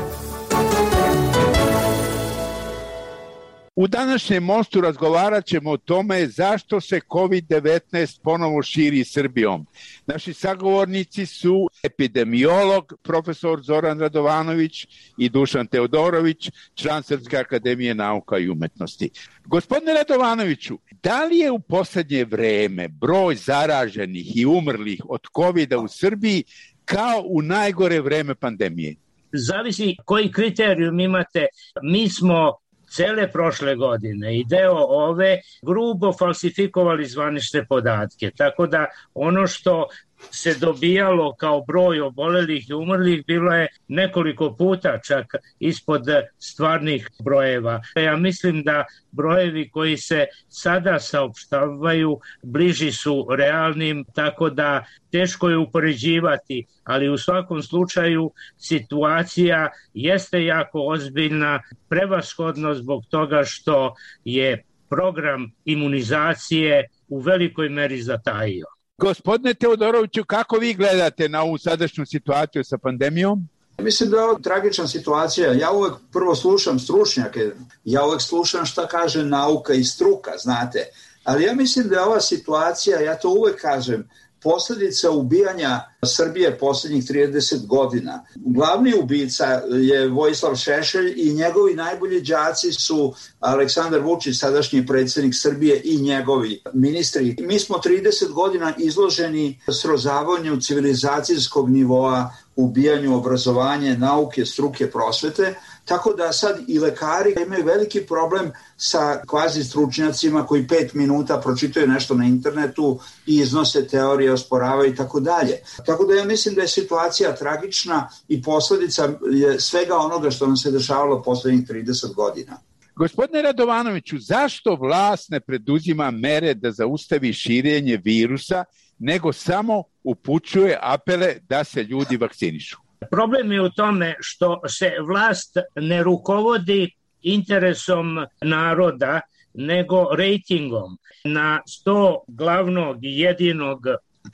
U današnjem mostu razgovarat ćemo o tome zašto se kovid devetnaest ponovo širi Srbijom. Naši sagovornici su epidemiolog profesor Zoran Radovanović i Dušan Teodorović, član Srpske akademije nauka i umjetnosti. Gospodine Radovanoviću, da li je u posljednje vreme broj zaraženih i umrlih od kovida u Srbiji kao u najgore vreme pandemije? Zavisi koji kriterijum imate. Mi smo cele prošle godine i deo ove grubo falsifikovali zvanične podatke. Tako da ono što se dobijalo kao broj obolelih i umrlih bilo je nekoliko puta čak ispod stvarnih brojeva. Ja mislim da brojevi koji se sada saopštavaju bliži su realnim, tako da teško je upoređivati, ali u svakom slučaju situacija jeste jako ozbiljna, prevashodno zbog toga što je program imunizacije u velikoj meri zatajio. Gospodine Teodoroviću, kako vi gledate na ovu sadašnju situaciju sa pandemijom? Mislim da je ovo tragična situacija. Ja uvek prvo slušam stručnjake, ja uvek slušam šta kaže nauka i struka, znate. Ali ja mislim da je ova situacija, ja to uvek kažem, posljedica ubijanja Srbije posljednjih trideset godina. Glavni ubica je Vojislav Šešelj i njegovi najbolji đaci su Aleksandar Vučić, sadašnji predsjednik Srbije, i njegovi ministri. Mi smo trideset godina izloženi srozavanju civilizacijskog nivoa, ubijanju obrazovanja, nauke, struke, prosvete, tako da sad i lekari imaju veliki problem sa kvazi stručnjacima koji pet minuta pročitaju nešto na internetu i iznose teorije, osporavaju i tako dalje. Tako da ja mislim da je situacija tragična i posljedica je svega onoga što nam se dešavalo posljednjih trideset godina. Gospodine Radovanoviću, zašto vlast ne preduzima mere da zaustavi širenje virusa, nego samo upućuje apele da se ljudi vakcinišu? Problem je u tome što se vlast ne rukovodi interesom naroda, nego rejtingom. Na sto glavnog i jedinog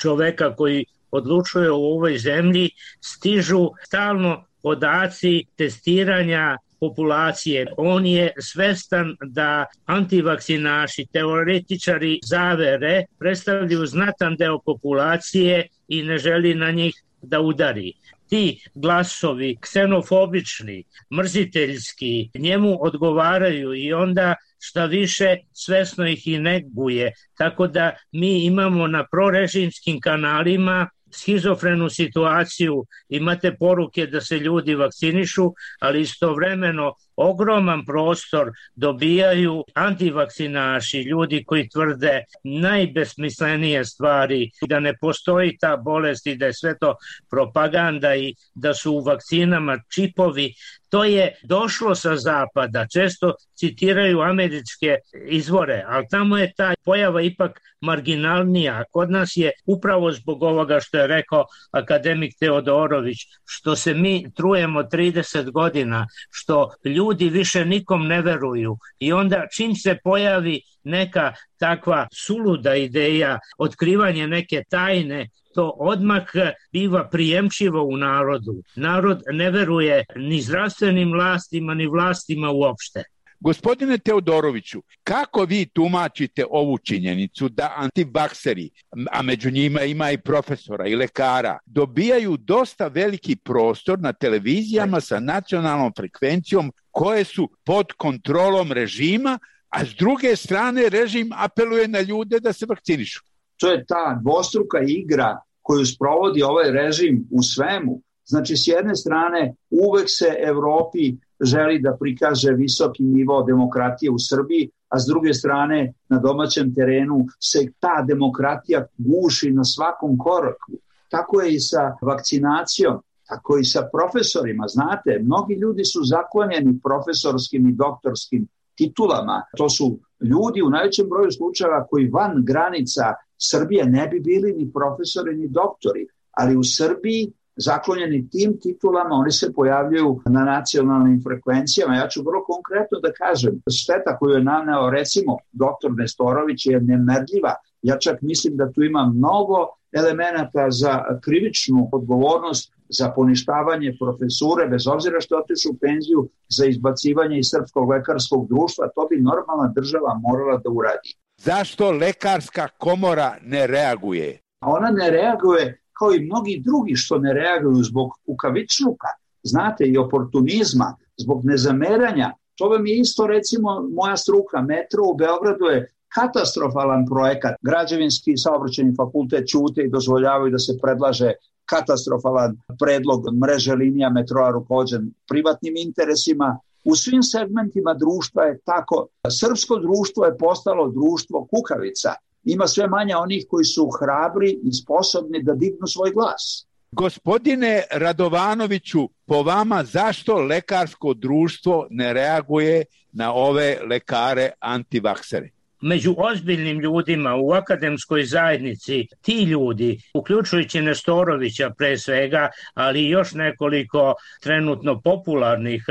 čoveka koji odlučuje u ovoj zemlji stižu stalno podaci testiranja populacije. On je svestan da antivakcinaši, teoretičari zavere predstavljaju znatan deo populacije i ne želi na njih da udari. Ti glasovi, ksenofobični, mrziteljski, njemu odgovaraju i onda šta više svesno ih i neguje. Tako da mi imamo na prorežimskim kanalima schizofrenu situaciju, imate poruke da se ljudi vakcinišu, ali istovremeno ogroman prostor dobijaju antivakcinaši, ljudi koji tvrde najbesmislenije stvari, da ne postoji ta bolest i da je sve to propaganda i da su u vakcinama čipovi. To je došlo sa zapada, često citiraju američke izvore, ali tamo je ta pojava ipak marginalnija. Kod nas je upravo zbog ovoga što je rekao akademik Teodorović, što se mi trujemo trideset godina, što ljudi više nikom ne veruju i onda čim se pojavi neka takva suluda ideja, otkrivanje neke tajne, to odmah biva prijemčivo u narodu. Narod ne veruje ni zdravstvenim vlastima, ni vlastima uopšte. Gospodine Teodoroviću, kako vi tumačite ovu činjenicu da antivakseri, a među njima ima i profesora i lekara, dobijaju dosta veliki prostor na televizijama sa nacionalnom frekvencijom koje su pod kontrolom režima, a s druge strane režim apeluje na ljude da se vakcinišu? To je ta dvostruka igra koju sprovodi ovaj režim u svemu. Znači, s jedne strane, uvek se Evropi želi da prikaže visoki nivo demokratije u Srbiji, a s druge strane, na domaćem terenu se ta demokratija guši na svakom koraku. Tako je i sa vakcinacijom, tako i sa profesorima. Znate, mnogi ljudi su zaklonjeni profesorskim i doktorskim titulama. To su ljudi u najvećem broju slučajeva koji van granica Srbije ne bi bili ni profesori ni doktori, ali u Srbiji zaklonjeni tim titulama oni se pojavljaju na nacionalnim frekvencijama. Ja ću vrlo konkretno da kažem, šteta koju je naneo recimo doktor Nestorović je nemerljiva. Ja čak mislim da tu ima mnogo elemenata za krivičnu odgovornost, za poništavanje profesure, bez obzira što je otišao u penziju, za izbacivanje iz Srpskog lekarskog društva. To bi normalna država morala da uradi. Zašto lekarska komora ne reaguje? Ona ne reaguje kao i mnogi drugi što ne reaguju zbog kukavičluka, znate, i oportunizma, zbog nezameranja. To vam je isto, recimo, moja struka, metro u Beogradu je katastrofalan projekat. Građevinski saobraćajni fakultet ćute i dozvoljavaju da se predlaže katastrofalan predlog mreže linija metroa rukovođen privatnim interesima. U svim segmentima društva je tako. Srpsko društvo je postalo društvo kukavica. Ima sve manje onih koji su hrabri i sposobni da dignu svoj glas. Gospodine Radovanoviću, po vama zašto lekarsko društvo ne reaguje na ove lekare antivaksere? Među ozbiljnim ljudima u akademskoj zajednici ti ljudi, uključujući Nestorovića pre svega, ali i još nekoliko trenutno popularnih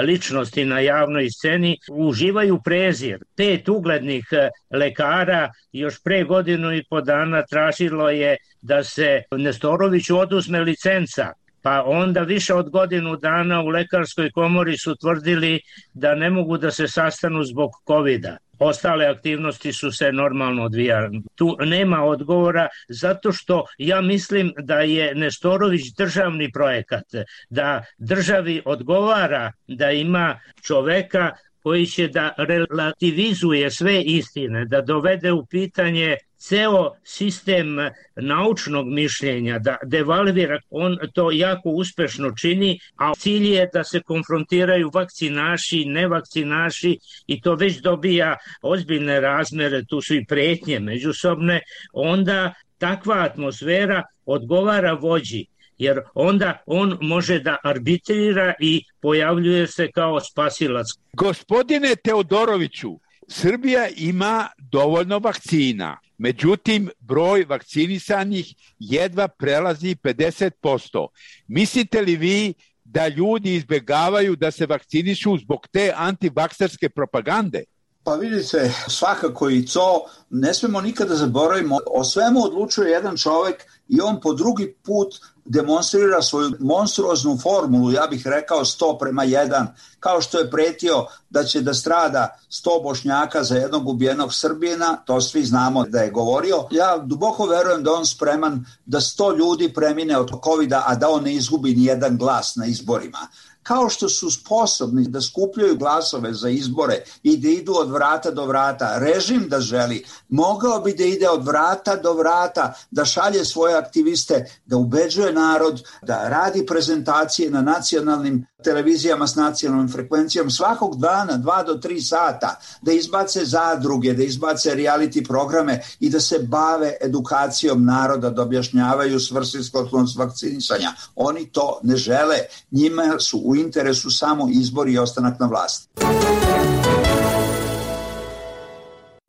ličnosti na javnoj sceni, uživaju prezir. Pet uglednih lekara još pre godinu i po dana tražilo je da se Nestoroviću oduzme licenca. Pa onda više od godinu dana u lekarskoj komori su tvrdili da ne mogu da se sastanu zbog kovida. Ostale aktivnosti su se normalno odvijale. Tu nema odgovora zato što ja mislim da je Nestorović državni projekat, da državi odgovara da ima čoveka koji će da relativizuje sve istine, da dovede u pitanje ceo sistem naučnog mišljenja, da devalvira. On to jako uspešno čini, a cilj je da se konfrontiraju vakcinaši, nevakcinaši i to već dobija ozbiljne razmere, tu su i pretnje međusobne. Onda takva atmosfera odgovara vođi, jer onda on može da arbitrira i pojavljuje se kao spasilac. Gospodine Teodoroviću, Srbija ima dovoljno vakcina. Međutim, broj vakcinisanih jedva prelazi pedeset posto. Mislite li vi da ljudi izbjegavaju da se vakcinišu zbog te antivakserske propagande? Pa vidite, svakako i to ne smemo nikada zaboravimo. O svemu odlučuje jedan čovek i on po drugi put demonstrira svoju monstruoznu formulu, ja bih rekao sto prema jedan, kao što je pretio da će da strada sto Bošnjaka za jednog ubijenog Srbina, to svi znamo da je govorio. Ja duboko verujem da on spreman da sto ljudi premine od kovida, a da on ne izgubi ni jedan glas na izborima. Kao što su sposobni da skupljaju glasove za izbore i da idu od vrata do vrata, režim da želi, mogao bi da ide od vrata do vrata, da šalje svoje aktiviste, da ubeđuje narod, da radi prezentacije na nacionalnim televizijama s nacionalnom frekvencijom svakog dana, dva do tri sata, da izbace zadruge, da izbace reality programe i da se bave edukacijom naroda, da objašnjavaju svrsishodnost vakcinisanja. Oni to ne žele. Njima su u interesu samo izbor i ostanak na vlasti.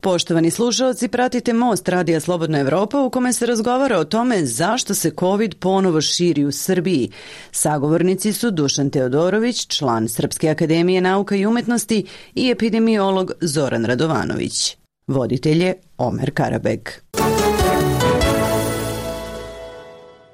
Poštovani slušalci, pratite Most Radija Slobodna Evropa u kome se razgovara o tome zašto se COVID ponovo širi u Srbiji. Sagovornici su Dušan Teodorović, član Srpske akademije nauka i umetnosti i epidemiolog Zoran Radovanović. Voditelj je Omer Karabeg.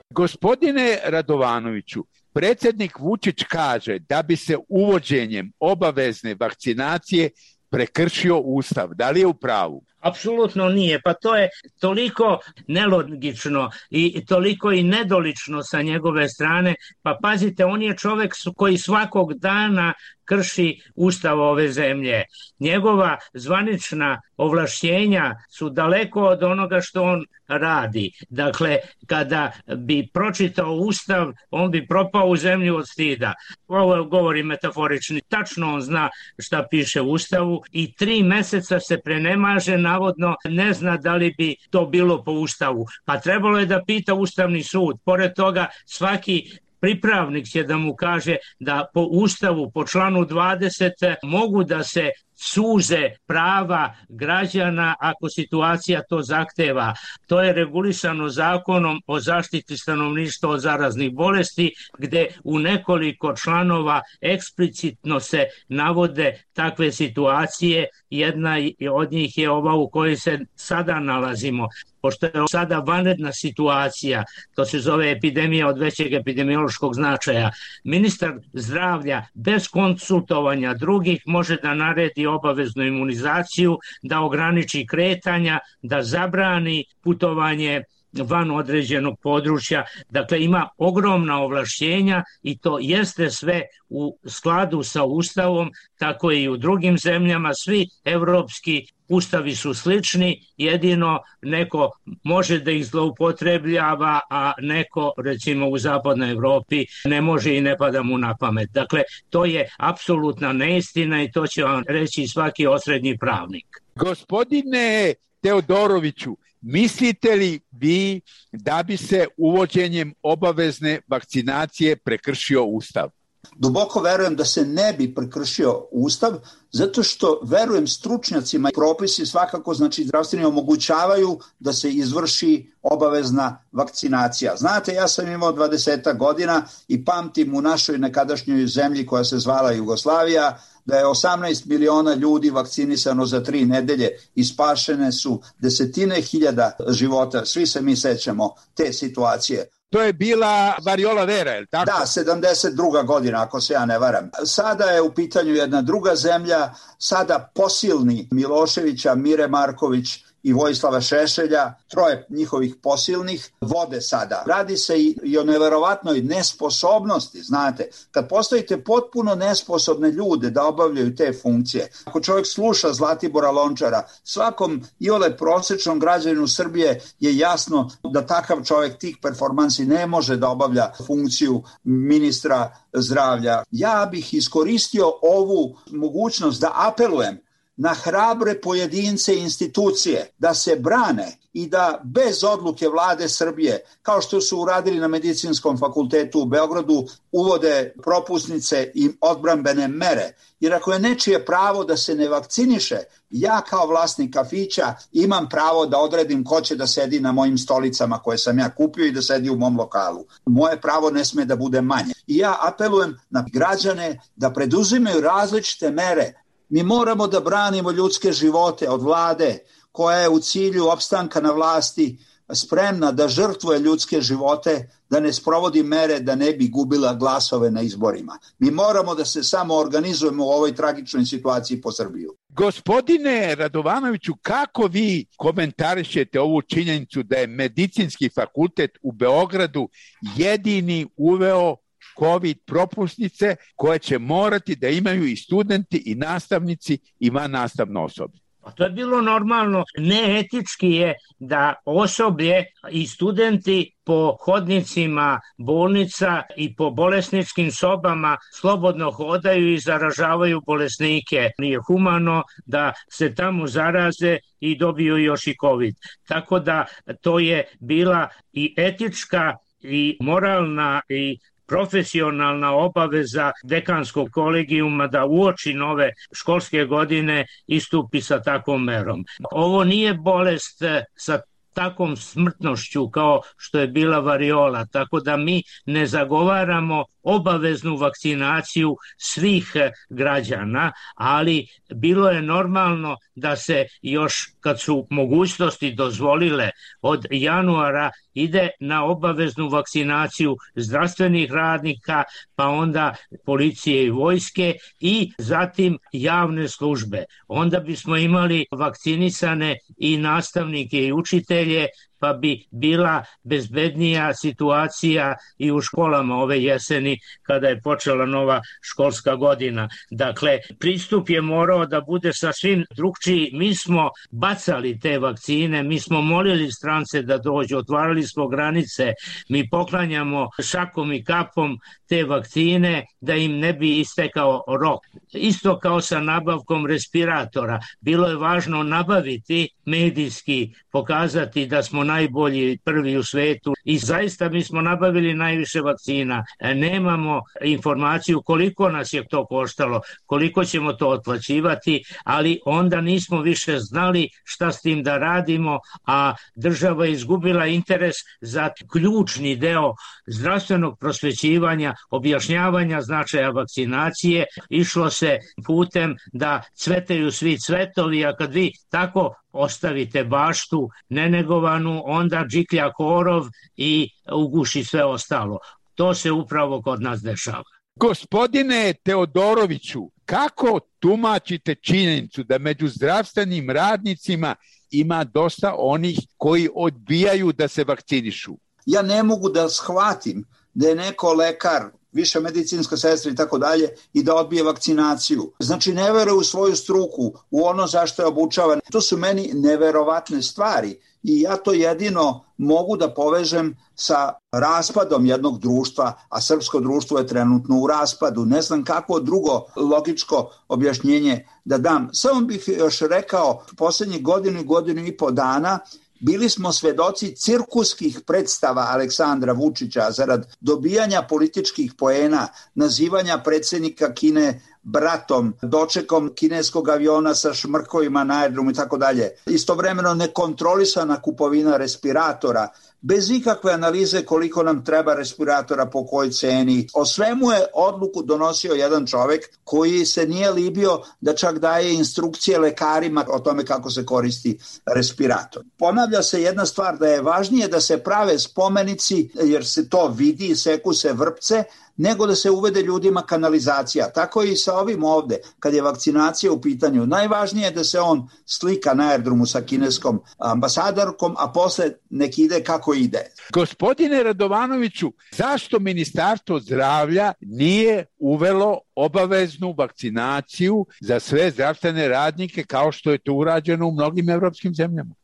Gospodine Radovanoviću, predsjednik Vučić kaže da bi se uvođenjem obavezne vakcinacije prekršio Ustav. Da li je u pravu? Apsolutno nije, pa to je toliko nelogično i toliko i nedolično sa njegove strane. Pa pazite, on je čovek koji svakog dana krši Ustav ove zemlje. Njegova zvanična ovlašćenja su daleko od onoga što on radi. Dakle, kada bi pročitao Ustav, on bi propao u zemlju od stida. Ovo govori metaforični. Tačno on zna šta piše u Ustavu i tri meseca se prenemaže, navodno ne zna da li bi to bilo po Ustavu. Pa trebalo je da pita Ustavni sud. Pored toga, svaki pripravnik će da mu kaže da po Ustavu, po članu dvadeset, mogu da se suze prava građana ako situacija to zahteva. To je regulisano zakonom o zaštiti stanovništva od zaraznih bolesti, gde u nekoliko članova eksplicitno se navode takve situacije. Jedna od njih je ova u kojoj se sada nalazimo. Pošto je sada vanredna situacija, to se zove epidemija od većeg epidemiološkog značaja, ministar zdravlja bez konsultovanja drugih može da naredi obaveznu imunizaciju, da ograniči kretanja, da zabrani putovanje van određenog područja. Dakle, ima ogromna ovlašćenja i to jeste sve u skladu sa Ustavom, tako i u drugim zemljama. Svi evropski ustavi su slični, jedino neko može da ih zloupotrebljava, a neko, recimo u zapadnoj Evropi, ne može i ne pada mu na pamet. Dakle, to je apsolutna neistina i to će vam reći svaki osrednji pravnik. Gospodine Teodoroviću, mislite li vi da bi se uvođenjem obavezne vakcinacije prekršio Ustav? Duboko verujem da se ne bi prekršio Ustav, zato što verujem stručnjacima i propisi svakako, znači zdravstveni, omogućavaju da se izvrši obavezna vakcinacija. Znate, ja sam imao dvadeset godina i pamtim u našoj nekadašnjoj zemlji koja se zvala Jugoslavija, da je osamnaest miliona ljudi vakcinisano za tri nedelje i spašene su desetine hiljada života. Svi se mi sećamo te situacije. To je bila variola vera, je li tako? Da, sedamdeset druga godina, ako se ja ne varam. Sada je u pitanju jedna druga zemlja, sada posilni Miloševića, Mire Marković i Vojislava Šešelja, troje njihovih posilnih, vode sada. Radi se i o neverovatnoj nesposobnosti, znate. Kad postavite potpuno nesposobne ljude da obavljaju te funkcije, ako čovjek sluša Zlatibora Lončara, svakom iole prosječnom građaninu Srbije je jasno da takav čovjek tih performansi ne može da obavlja funkciju ministra zdravlja. Ja bih iskoristio ovu mogućnost da apelujem na hrabre pojedince i institucije da se brane i da bez odluke vlade Srbije, kao što su uradili na Medicinskom fakultetu u Beogradu, uvode propusnice i odbrambene mere. Jer ako je nečije pravo da se ne vakciniše, ja kao vlasnik kafića imam pravo da odredim ko će da sedi na mojim stolicama koje sam ja kupio i da sedi u mom lokalu. Moje pravo ne sme da bude manje. I ja apelujem na građane da preduzimaju različite mere, Mi moramo da branimo ljudske živote od vlade koja je u cilju opstanka na vlasti spremna da žrtvuje ljudske živote, da ne sprovodi mere da ne bi gubila glasove na izborima. Mi moramo da se samo organizujemo u ovoj tragičnoj situaciji po Srbiju. Gospodine Radovanoviću, kako vi komentarišete ovu činjenicu da je Medicinski fakultet u Beogradu jedini uveo COVID propusnice koje će morati da imaju i studenti i nastavnici i vannastavno osoblje? A to je bilo normalno. Neetički je da osoblje i studenti po hodnicima bolnica i po bolesničkim sobama slobodno hodaju i zaražavaju bolesnike. Nije humano da se tamo zaraze i dobiju još i COVID. Tako da to je bila i etička i moralna i profesionalna obaveza dekanskog kolegijuma da uoči nove školske godine istupi sa takvom merom. Ovo nije bolest sa takvom smrtnošću kao što je bila variola, tako da mi ne zagovaramo obaveznu vakcinaciju svih građana, ali bilo je normalno da se još kad su mogućnosti dozvolile od januara ide na obaveznu vakcinaciju zdravstvenih radnika, pa onda policije i vojske i zatim javne službe. Onda bismo imali vakcinisane i nastavnike i učitelje, pa bi bila bezbednija situacija i u školama ove jeseni kada je počela nova školska godina. Dakle, pristup je morao da bude sasvim drugčiji. Mi smo bacali te vakcine, mi smo molili strance da dođu, otvarali smo granice, mi poklanjamo šakom i kapom te vakcine da im ne bi istekao rok. Isto kao sa nabavkom respiratora. Bilo je važno nabaviti, medijski pokazati da smo najbolji, prvi u svetu i zaista mi smo nabavili najviše vakcina. Nemamo informaciju koliko nas je to koštalo, koliko ćemo to otplaćivati, ali onda nismo više znali šta s tim da radimo, a država je izgubila interes za ključni deo zdravstvenog prosvećivanja, objašnjavanja značaja vakcinacije. Išlo se putem da cvetaju svi cvetovi, a kad vi tako ostavite baštu nenegovanu, onda džiklja korov i uguši sve ostalo. To se upravo kod nas dešava. Gospodine Teodoroviću, kako tumačite činjenicu da među zdravstvenim radnicima ima dosta onih koji odbijaju da se vakcinišu? Ja ne mogu da shvatim da je neko lekar, više medicinska sestra i tako dalje, i da odbije vakcinaciju. Znači, ne veruje u svoju struku, u ono zašto je obučavan. To su meni neverovatne stvari i ja to jedino mogu da povežem sa raspadom jednog društva, a srpsko društvo je trenutno u raspadu. Ne znam kako drugo logičko objašnjenje da dam. Samo bih još rekao, poslednjih godinu i godinu i po dana bili smo svedoci cirkuskih predstava Aleksandra Vučića zarad dobijanja političkih poena, nazivanja predsjednika Kine bratom, dočekom kineskog aviona sa šmrkovima na aerodromu i tako dalje. Istovremeno nekontrolisana kupovina respiratora, bez ikakve analize koliko nam treba respiratora, po kojoj ceni. O svemu je odluku donosio jedan čovek koji se nije libio da čak daje instrukcije lekarima o tome kako se koristi respirator. Ponavlja se jedna stvar, da je važnije da se prave spomenici, jer se to vidi, seku se vrpce, nego da se uvede ljudima kanalizacija. Tako i sa ovim ovde, kad je vakcinacija u pitanju. Najvažnije je da se on slika na aerodromu sa kineskom ambasadorkom, a posle nek ide kako ide. Gospodine Radovanoviću, zašto Ministarstvo zdravlja nije uvelo obaveznu vakcinaciju za sve zdravstvene radnike kao što je to urađeno u mnogim evropskim zemljama?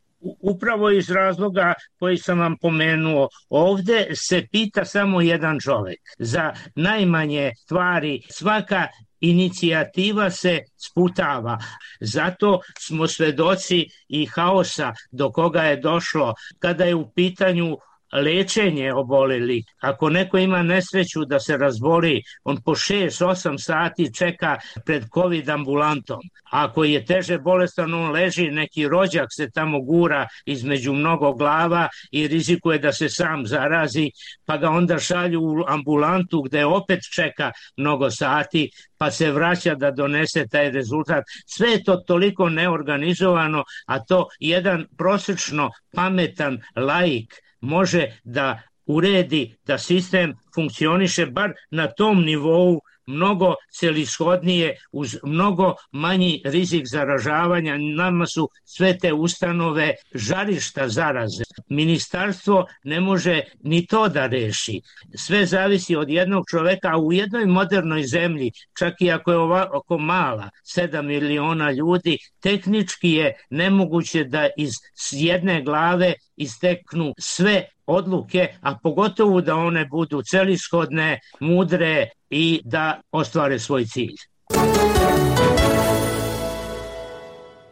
Upravo iz razloga koji sam vam pomenuo, ovde se pita samo jedan čovek. Za najmanje stvari svaka inicijativa se sputava. Zato smo svedoci i haosa do koga je došlo kada je u pitanju lečenje oboleli. Ako neko ima nesreću da se razboli, on po šest osam sati čeka pred COVID ambulantom. Ako je teže bolestan, on leži, neki rođak se tamo gura između mnogo glava i rizikuje da se sam zarazi, pa ga onda šalju u ambulantu gde opet čeka mnogo sati, pa se vraća da donese taj rezultat. Sve je to toliko neorganizovano, a to jedan prosečno pametan laik može da uredi, da sistem funkcioniše bar na tom nivou mnogo celishodnije, uz mnogo manji rizik zaražavanja. Nama su sve te ustanove žarišta zaraze. Ministarstvo ne može ni to da reši. Sve zavisi od jednog čoveka, a u jednoj modernoj zemlji, čak i ako je ovako mala, sedam miliona ljudi, tehnički je nemoguće da iz jedne glave isteknu sve odluke, a pogotovo da one budu celishodne, mudre i da ostvare svoj cilj.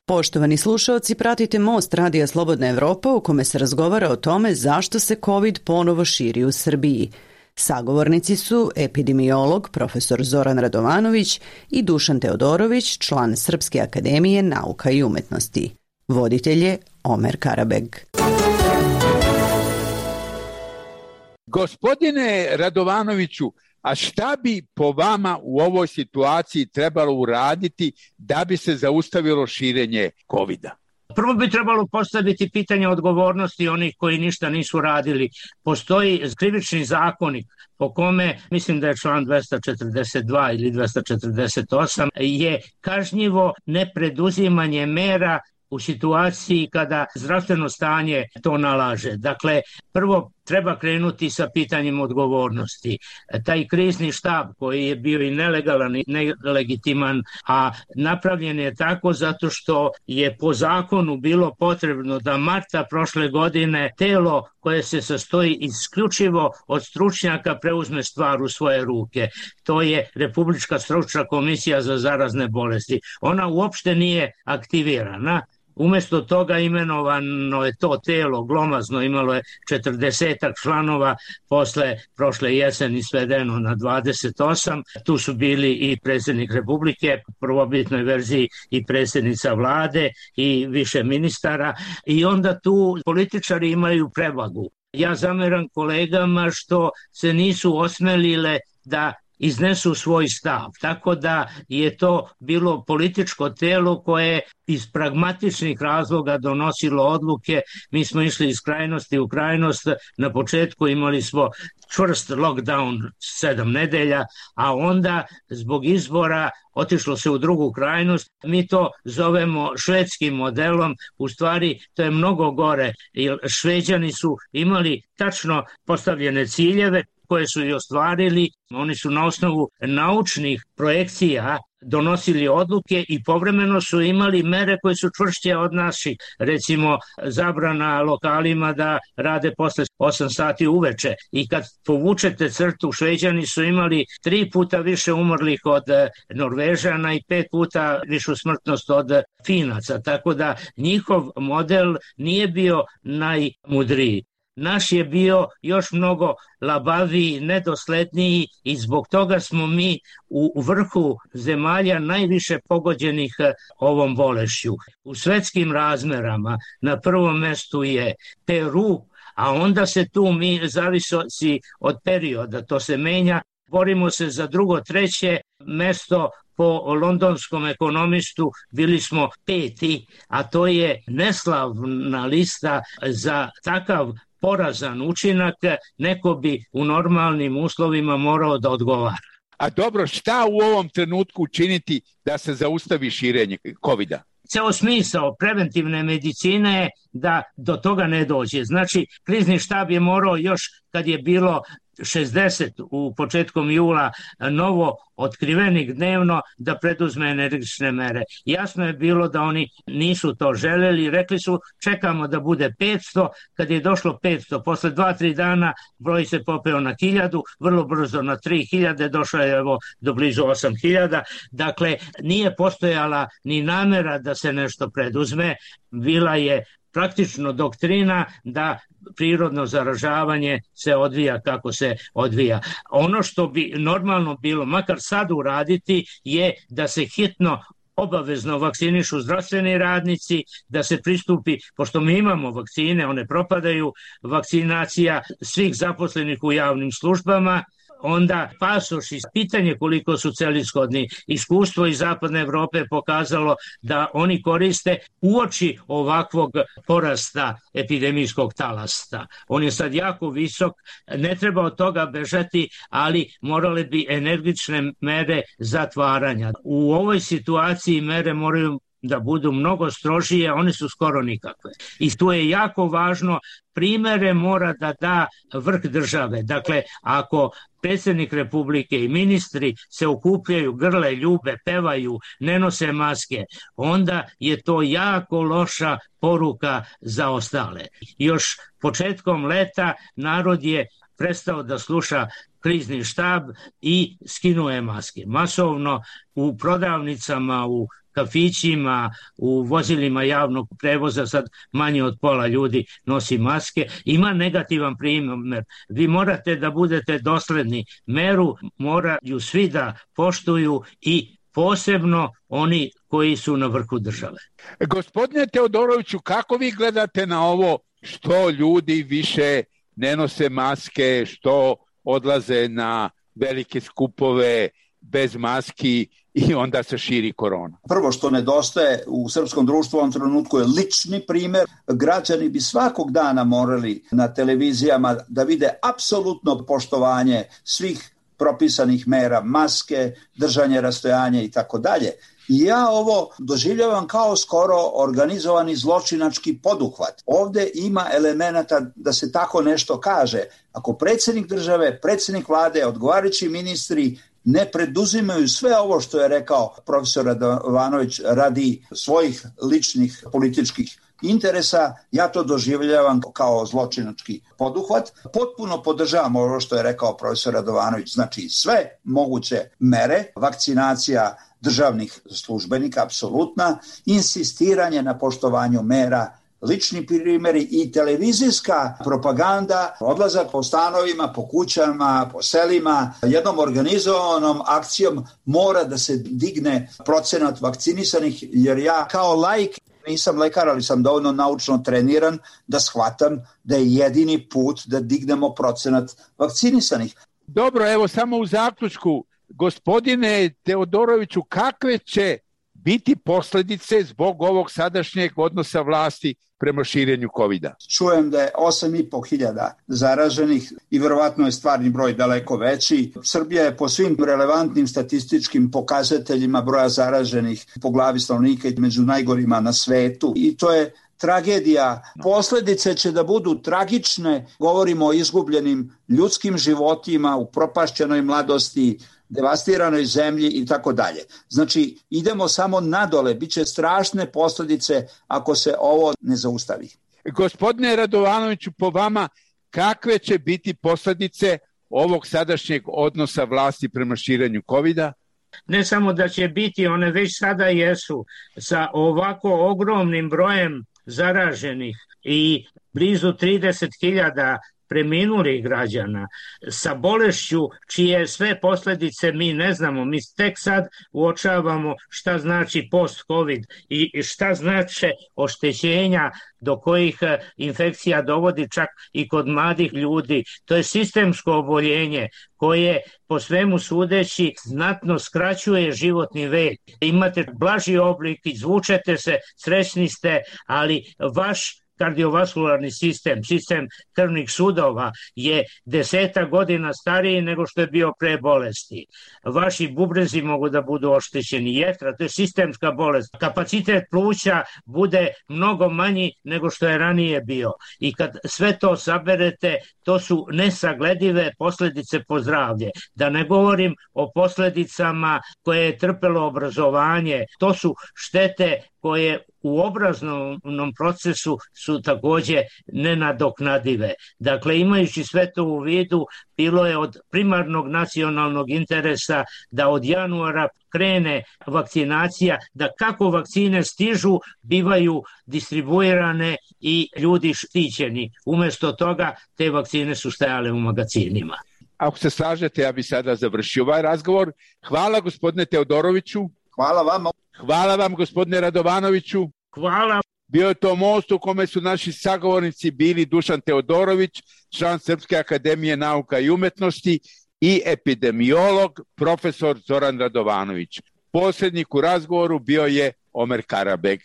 Poštovani slušaoci, pratite Most Radija Slobodna Evropa u kome se razgovara o tome zašto se COVID ponovo širi u Srbiji. Sagovornici su epidemiolog profesor Zoran Radovanović i Dušan Teodorović, član Srpske akademije nauka i umetnosti. Voditelj je Omer Karabeg. Gospodine Radovanoviću, a šta bi po vama u ovoj situaciji trebalo uraditi da bi se zaustavilo širenje kovida? Prvo bi trebalo postaviti pitanje odgovornosti onih koji ništa nisu radili. Postoji krivični zakonik po kome, mislim da je član dvesta četrdeset dva ili dvesta četrdeset osam, je kažnjivo nepreduzimanje mera u situaciji kada zdravstveno stanje to nalaže. Dakle, prvo treba krenuti sa pitanjem odgovornosti. Taj krizni štab koji je bio i nelegalan i nelegitiman, a napravljen je tako zato što je po zakonu bilo potrebno da marta prošle godine telo koje se sastoji isključivo od stručnjaka preuzme stvar u svoje ruke. To je Republička stručna komisija za zarazne bolesti. Ona uopšte nije aktivirana. Umesto toga imenovano je to telo, glomazno, imalo je četrdesetak članova, posle prošle jeseni svedeno na dvadeset osam. Tu su bili i predsjednik Republike, u prvobitnoj verziji i predsjednica vlade i više ministara, i onda tu političari imaju prevagu. Ja zameram kolegama što se nisu osmelile da iznesu svoj stav, tako da je to bilo političko telo koje iz pragmatičnih razloga donosilo odluke. Mi smo išli iz krajnosti u krajnost. Na početku imali smo čvrst lockdown sedam nedelja, a onda zbog izbora otišlo se u drugu krajnost. Mi to zovemo švedskim modelom. U stvari to je mnogo gore, jer Šveđani su imali tačno postavljene ciljeve koje su i ostvarili. Oni su na osnovu naučnih projekcija donosili odluke i povremeno su imali mere koje su čvršće od naših. Recimo, zabrana lokalima da rade posle osam sati uveče. I kad povučete crtu, Šveđani su imali tri puta više umrlih od Norvežana i pet puta višu smrtnost od Finaca. Tako da njihov model nije bio najmudriji. Naš je bio još mnogo labaviji, nedosledniji i zbog toga smo mi u vrhu zemalja najviše pogođenih ovom bolešću. U svetskim razmerama na prvom mestu je Peru, a onda se tu mi zavisi od perioda, to se menja. Borimo se za drugo, treće mesto. Po londonskom ekonomistu bili smo peti, a to je neslavna lista za takav porazan učinak. Neko bi u normalnim uslovima morao da odgovara. A dobro, šta u ovom trenutku učiniti da se zaustavi širenje kovida? Ceo smisao preventivne medicine je da do toga ne dođe. Znači, krizni štab je morao još kad je bilo šezdeset u početkom jula novo otkrivenih dnevno da preduzme energične mere. Jasno je bilo da oni nisu to želeli, rekli su čekamo da bude petsto, kad je došlo petsto, posle dva tri dana broj se popeo na hiljadu, vrlo brzo na tri hiljade, došlo je evo do blizu osam hiljada, dakle nije postojala ni namera da se nešto preduzme, bila je praktično doktrina da prirodno zaražavanje se odvija kako se odvija. Ono što bi normalno bilo, makar sad uraditi, je da se hitno obavezno vakcinišu zdravstveni radnici, da se pristupi, pošto mi imamo vakcine, one propadaju, vakcinacija svih zaposlenih u javnim službama, onda pasoš i pitanje koliko su celishodni. Iskustvo iz zapadne Evrope pokazalo da oni koriste uoči ovakvog porasta epidemijskog talasta. On je sad jako visok, ne treba od toga bežati, ali morale bi energične mere zatvaranja. U ovoj situaciji mere moraju da budu mnogo strožije, one su skoro nikakve. I tu je jako važno, primere mora da da vrh države. Dakle, ako predsjednik Republike i ministri se okupljaju, grle, ljube, pevaju, ne nose maske, onda je to jako loša poruka za ostale. Još početkom leta narod je prestao da sluša krizni štab i skinuo je maske. Masovno u prodavnicama, u kafićima, u vozilima javnog prevoza sad manje od pola ljudi nosi maske. Ima negativan primjer. Vi morate da budete dosledni. Meru moraju svi da poštuju i posebno oni koji su na vrhu države. Gospodine Teodoroviću, kako vi gledate na ovo što ljudi više ne nose maske, što odlaze na velike skupove bez maski i onda se širi korona? Prvo što nedostaje u srpskom društvu u ovom trenutku je lični primer. Građani bi svakog dana morali na televizijama da vide apsolutno poštovanje svih propisanih mera, maske, držanje rastojanja i tako dalje. I ja ovo doživljavam kao skoro organizovani zločinački poduhvat. Ovde ima elemenata da se tako nešto kaže. Ako predsjednik države, predsjednik vlade, odgovarajući ministri ne preduzimaju sve ovo što je rekao profesor Radovanović radi svojih ličnih političkih interesa, ja to doživljavam kao zločinački poduhvat. Potpuno podržavam ovo što je rekao profesor Radovanović, znači sve moguće mere, vakcinacija državnih službenika, apsolutna, insistiranje na poštovanju mera, lični primjeri i televizijska propaganda, odlazak po stanovima, po kućama, po selima, jednom organizovanom akcijom mora da se digne procenat vakcinisanih, jer ja kao laik nisam lekar, ali sam dovoljno naučno treniran da shvatam da je jedini put da dignemo procenat vakcinisanih. Dobro, evo samo u zaključku, gospodine Teodoroviću, kakve će biti posljedice zbog ovog sadašnjeg odnosa vlasti prema širenju kovida? Čujem da je osam i po hiljada zaraženih i verovatno je stvarni broj daleko veći. Srbija je po svim relevantnim statističkim pokazateljima broja zaraženih po glavi stanovnika među najgorima na svetu i to je tragedija. Posljedice će da budu tragične, govorimo o izgubljenim ljudskim životima, u propašćenoj mladosti, devastiranoj zemlji i tako dalje. Znači, idemo samo nadole, bit će strašne posljedice ako se ovo ne zaustavi. Gospodine Radovanoviću, po vama, kakve će biti posljedice ovog sadašnjeg odnosa vlasti prema širenju kovida? Ne samo da će biti, one već sada jesu, sa ovako ogromnim brojem zaraženih i blizu trideset hiljada preminulih građana, sa bolešću čije sve posljedice mi ne znamo, mi tek sad uočavamo šta znači post-covid i šta znače oštećenja do kojih infekcija dovodi čak i kod mladih ljudi. To je sistemsko oboljenje koje po svemu sudeći znatno skraćuje životni vek. Imate blaži oblik, izvučete se, srećni ste, ali vaš kardiovaskularni sistem, sistem krvnih sudova je deseta godina stariji nego što je bio pre bolesti. Vaši bubrezi mogu da budu oštećeni, jetra, to je sistemska bolest. Kapacitet pluća bude mnogo manji nego što je ranije bio. I kad sve to saberete, to su nesagledive posljedice po zdravlje. Da ne govorim o posljedicama koje je trpelo obrazovanje. To su štete koje u obrazovnom procesu su takođe nenadoknadive. Dakle, imajući sve to u vidu, bilo je od primarnog nacionalnog interesa da od januara krene vakcinacija, da kako vakcine stižu, bivaju distribuirane i ljudi štićeni. Umesto toga, te vakcine su stajale u magazinima. Ako se slažete, ja bih sada završio ovaj razgovor. Hvala gospodine Teodoroviću. Hvala vama. Hvala vam gospodine Radovanoviću. Hvala. Bio je to most u kome su naši sagovornici bili Dušan Teodorović, član Srpske akademije nauka i umetnosti, i epidemiolog profesor Zoran Radovanović. Posrednik u razgovoru bio je Omer Karabeg.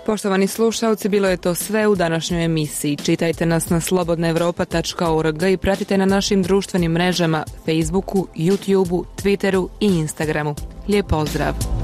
Poštovani slušalci, bilo je to sve u današnjoj emisiji. Čitajte nas na slobodna evropa tačka org i pratite na našim društvenim mrežama Facebooku, YouTubeu, Twitteru i Instagramu. Lijep pozdrav!